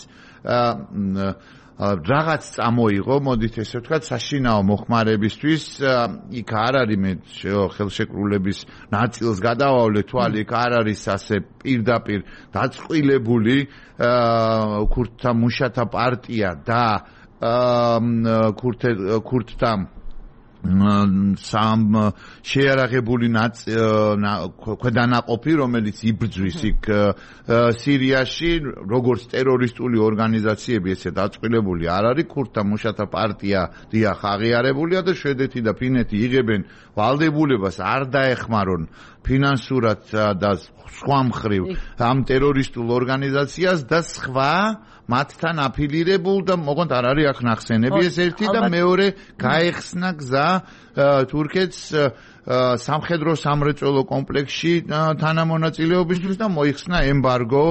რაღაც წამოიღო, მოდით ესე ვთქვათ, საშინაო მოხმარებისთვის. იქ არ არის მე ხელშეკრულების ნაწილს გადავავლე თვალი, იქ არ არის ასე პირდაპირ დაწყვილებული ქურთთა მუშათა პარტია და ქურთთა სამ შეარაღებული ქვედანაყოფი, რომელიც იბრძვის იქ სირიაში, როგორც ტერორისტული ორგანიზაციები, ესე დაწყვილებული არ არის. ქურთთა მუშათა პარტია დიახ აღიარებულია და შვედეთი და ფინეთი იღებენ ვალდებულებას არ დაეხმარონ ფინანსურად და სხვა მხრივ ამ ტერორისტულ ორგანიზაციას და სხვა მათთან აფილირებულ და მოყოთ არ არის აქ ნახსენები ეს ერთი და მეორე გაეხსნა გზა თურქეთს სამხედრო სამრეწველო კომპლექსში თანამონაწილეობისთვის და მოიხსნა ემბარგო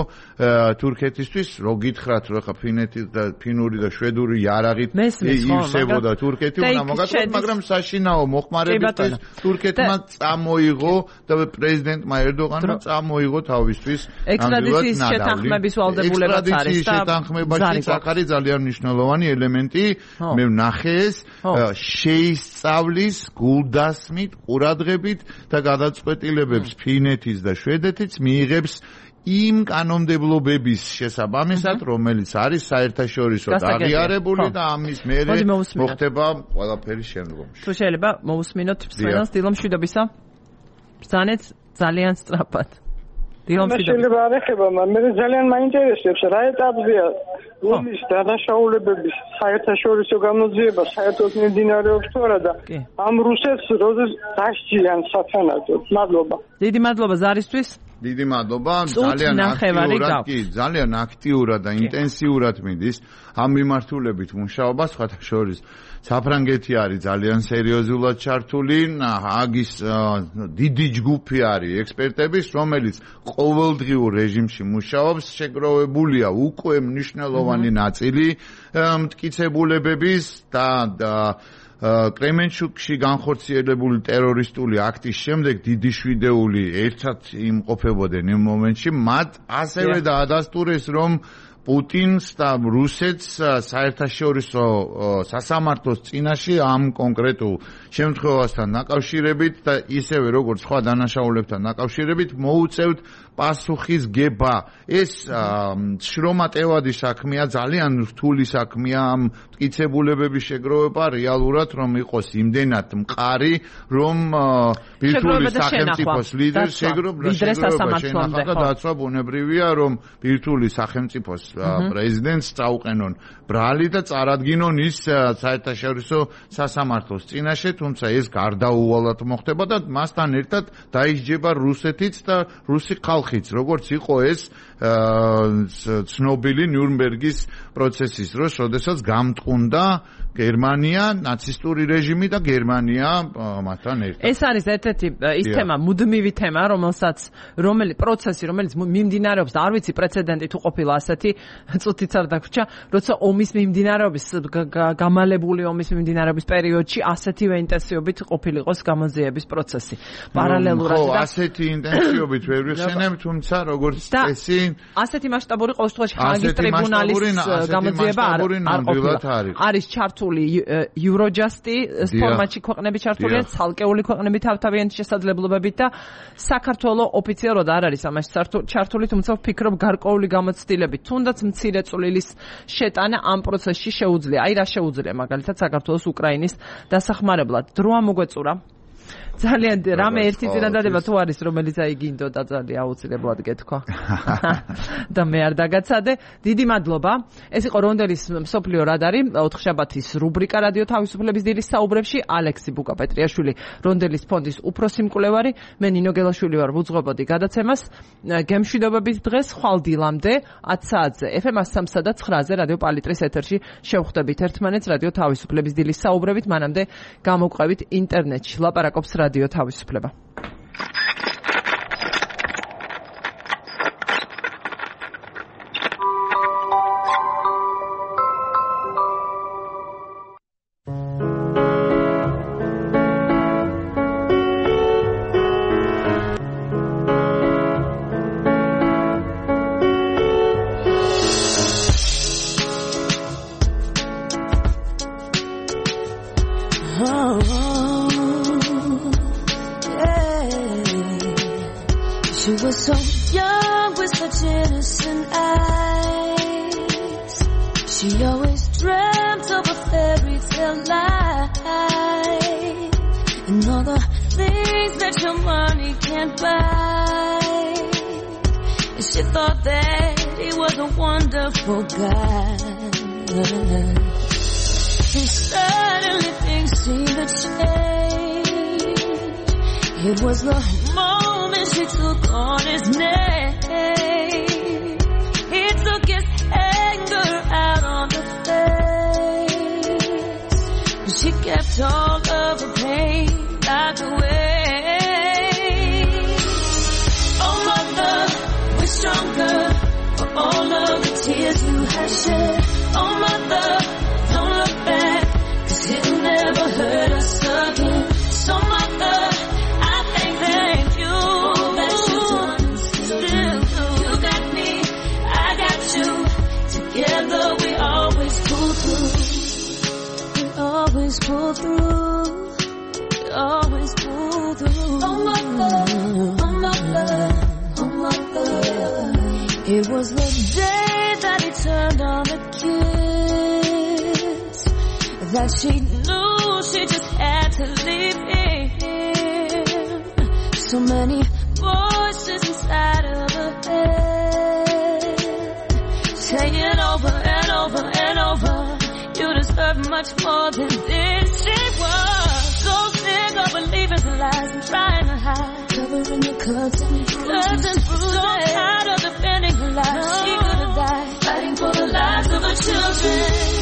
თურქეთისთვის, რო გითხრათ, რომ ხა ფინეთი და ფინური და შვედური იარაღით ივსებოდა თურქეთი, უნდა მოგაწოდოთ, მაგრამ საშინაო მოხმარებისთვის თურქეთმა წამოიღო და პრეზიდენტმა ერდოღანმა წამოიღო თავისთვის ექსტრადიციის შეთანხმების ვალდებულებაც არის და შეთანხმებაში აქ არის ძალიან მნიშვნელოვანი ელემენტი, მე ვნახე ეს შეისწავლის გულდასმით ყურადღებით და გადაწყვეტილებებს ფინეთის და შვედეთის მიიღებს იმ კანონმდებლობების შესაბამისად, რომელიც არის საერთაშორისო აღიარებული და ამის მერე მოხდება ყველაფერი შემდგომში. თუ შეიძლება მოусმინოთ მსმენელს დილომშვიდობისა. ბრძანეთ ძალიან სწრაფად. შეიძლება არ ეხება, მე ძალიან მაინტერესებს რა ეტაპზეა ომის დანაშაულებების საერთაშორისო გამოძიება, საერთოდ მიმდინარეობს თუ არა და ამ რუსეთს როდეს დასჯიან სათანადოდ. მადლობა. დიდი მადლობა ზარისთვის. დიდი მადლობა. ძალიან აქტიურად და ინტენსიურად მიდის ამ მიმართულებით მუშაობა, სხვათა შორის საფრანგეთი არის ძალიან სერიოზულად ჩართული, ჰააგის დიდი ჯგუფი არის ექსპერტების, რომელიც ყოველდღიურ რეჟიმში მუშაობს, შეგროვებულია უკვე მნიშვნელოვანი ნაწილი მტკიცებულებების და კრემენჩუკში განხორციელებული ტერორისტული აქტის შემდეგ დიდი შვიდეული ერთად იმყოფებოდნენ იმ მომენტში, მათ ასევე დაადასტურეს, რომ პუტინს და რუსეთს საერთაშორისო სასამართლოს წინაშე ამ კონკრეტულ შემთხვევასთან დაკავშირებით და ისევე როგორც სხვა დანაშაულებთან დაკავშირებით მოუწევთ პასუხისგება. ეს შრომატევადი საქმეა, ძალიან რთული საქმეა ამ მტკიცებულებების შეგროვება, რეალურად რომ იყოს იმდენად მყარი, რომ ბირთვული სახელმწიფოს ლიდერს შეგროვება შენახა და დაცვა ბუნებრივია, რომ ბირთვული სახელმწიფოს პრეზიდენტს წაუყენონ ბრალი და წარადგინონ ის საერთაშორისო სასამართლოს წინაშე, თუმცა ეს გარდაუვალად მოხდება და მასთან ერთად დაისჯება რუსეთიც და რუსი ხალხიც, როგორც იყო ეს ცნობილი ნიურნბერგის პროცესის დროს, როდესაც გამტყუნდა გერმანია, ნაცისტური რეჟიმი და გერმანია მათთან ერთად. ეს არის ერთ-ერთი ის თემა, მუდმივი თემა, რომელიც მიმდინარეობს და არ ვიცი პრეცედენტი თუ ყოფილა ასეთი, წუთიც არ დაგვრჩა, როცა ომის მიმდინარეობის გამალებული ომის მიმდინარეობის პერიოდში ასეთივე ინტენსივობით ყოფილიყოს გამოძიების პროცესი. პარალელურად და ასეთი ინტენსივობით ვერ ვიხსენებ, თუმცა როგორც წესი ასეთი მასშტაბური ყოველ შემთხვევაში ჰაგის ტრიბუნალის გამოძიება არის ჩართული Eurojust-ის ფორმატში ქვეყნები ჩართულია, ცალკეული ქვეყნები თავთავიანთი შესაძლებლობებით და საქართველოს ოფიციალურად არ არის ამაში ჩართული, თუმცა ვფიქრობ გარკვეული გამოცდილებით, თუნდაც მცირე წვლილის შეტანა ამ პროცესში შეუძლია. აი რა შეუძლია მაგალითად საქართველოს უკრაინის დასახმარებლად. დრო ამოგვეწურა. ძალიან რამე ერთი წინადადება თუ არის, რომელიც აი გინდოდა ძალიან აუცილებლად გეთქვა. და მე არ დაგაცადე. დიდი მადლობა. ეს იყო რონდელის მსოფლიო რადარი, 4 შაბათის რუბრიკა რადიო თავისუფლების დილის საუბრებში. ალექსი ბუკა-პეტრიაშვილი, რონდელის ფონდის უფროსი მკვლევარი, მე ნინო გელაშვილი ვარ, ვუძღვებოდი გადაცემას. გემშვიდობების დღეს ხვალ დილამდე 10 საათზე FM 103 და 9-ზე რადიო პალიტრის ეთერში შევხვდებით ერთმანეთს რადიო თავისუფლების დილის საუბრებით, მანამდე გამოვყევით ინტერნეტში. ლაპარაკობს რადიო თავისუფლება. It was the moment she took on his name. He took his anger out on the face. She kept all of the pain locked away. Oh mother, we're stronger for all of the tears you have shed. Oh mother, don't look back, 'cause it'll never hurt us again. So mother, pull through, we always pull through. Oh mother, oh mother, oh mother. It was the day that he turned on the kiss, that she knew she just had to leave him. So many voices inside of her head, saying over and over and over, you deserve much more than this. She was so sick of believing the lies and trying to hide, covering the cuts and bruises. So tired of defending her life, she could have died, fighting for the lives of her children.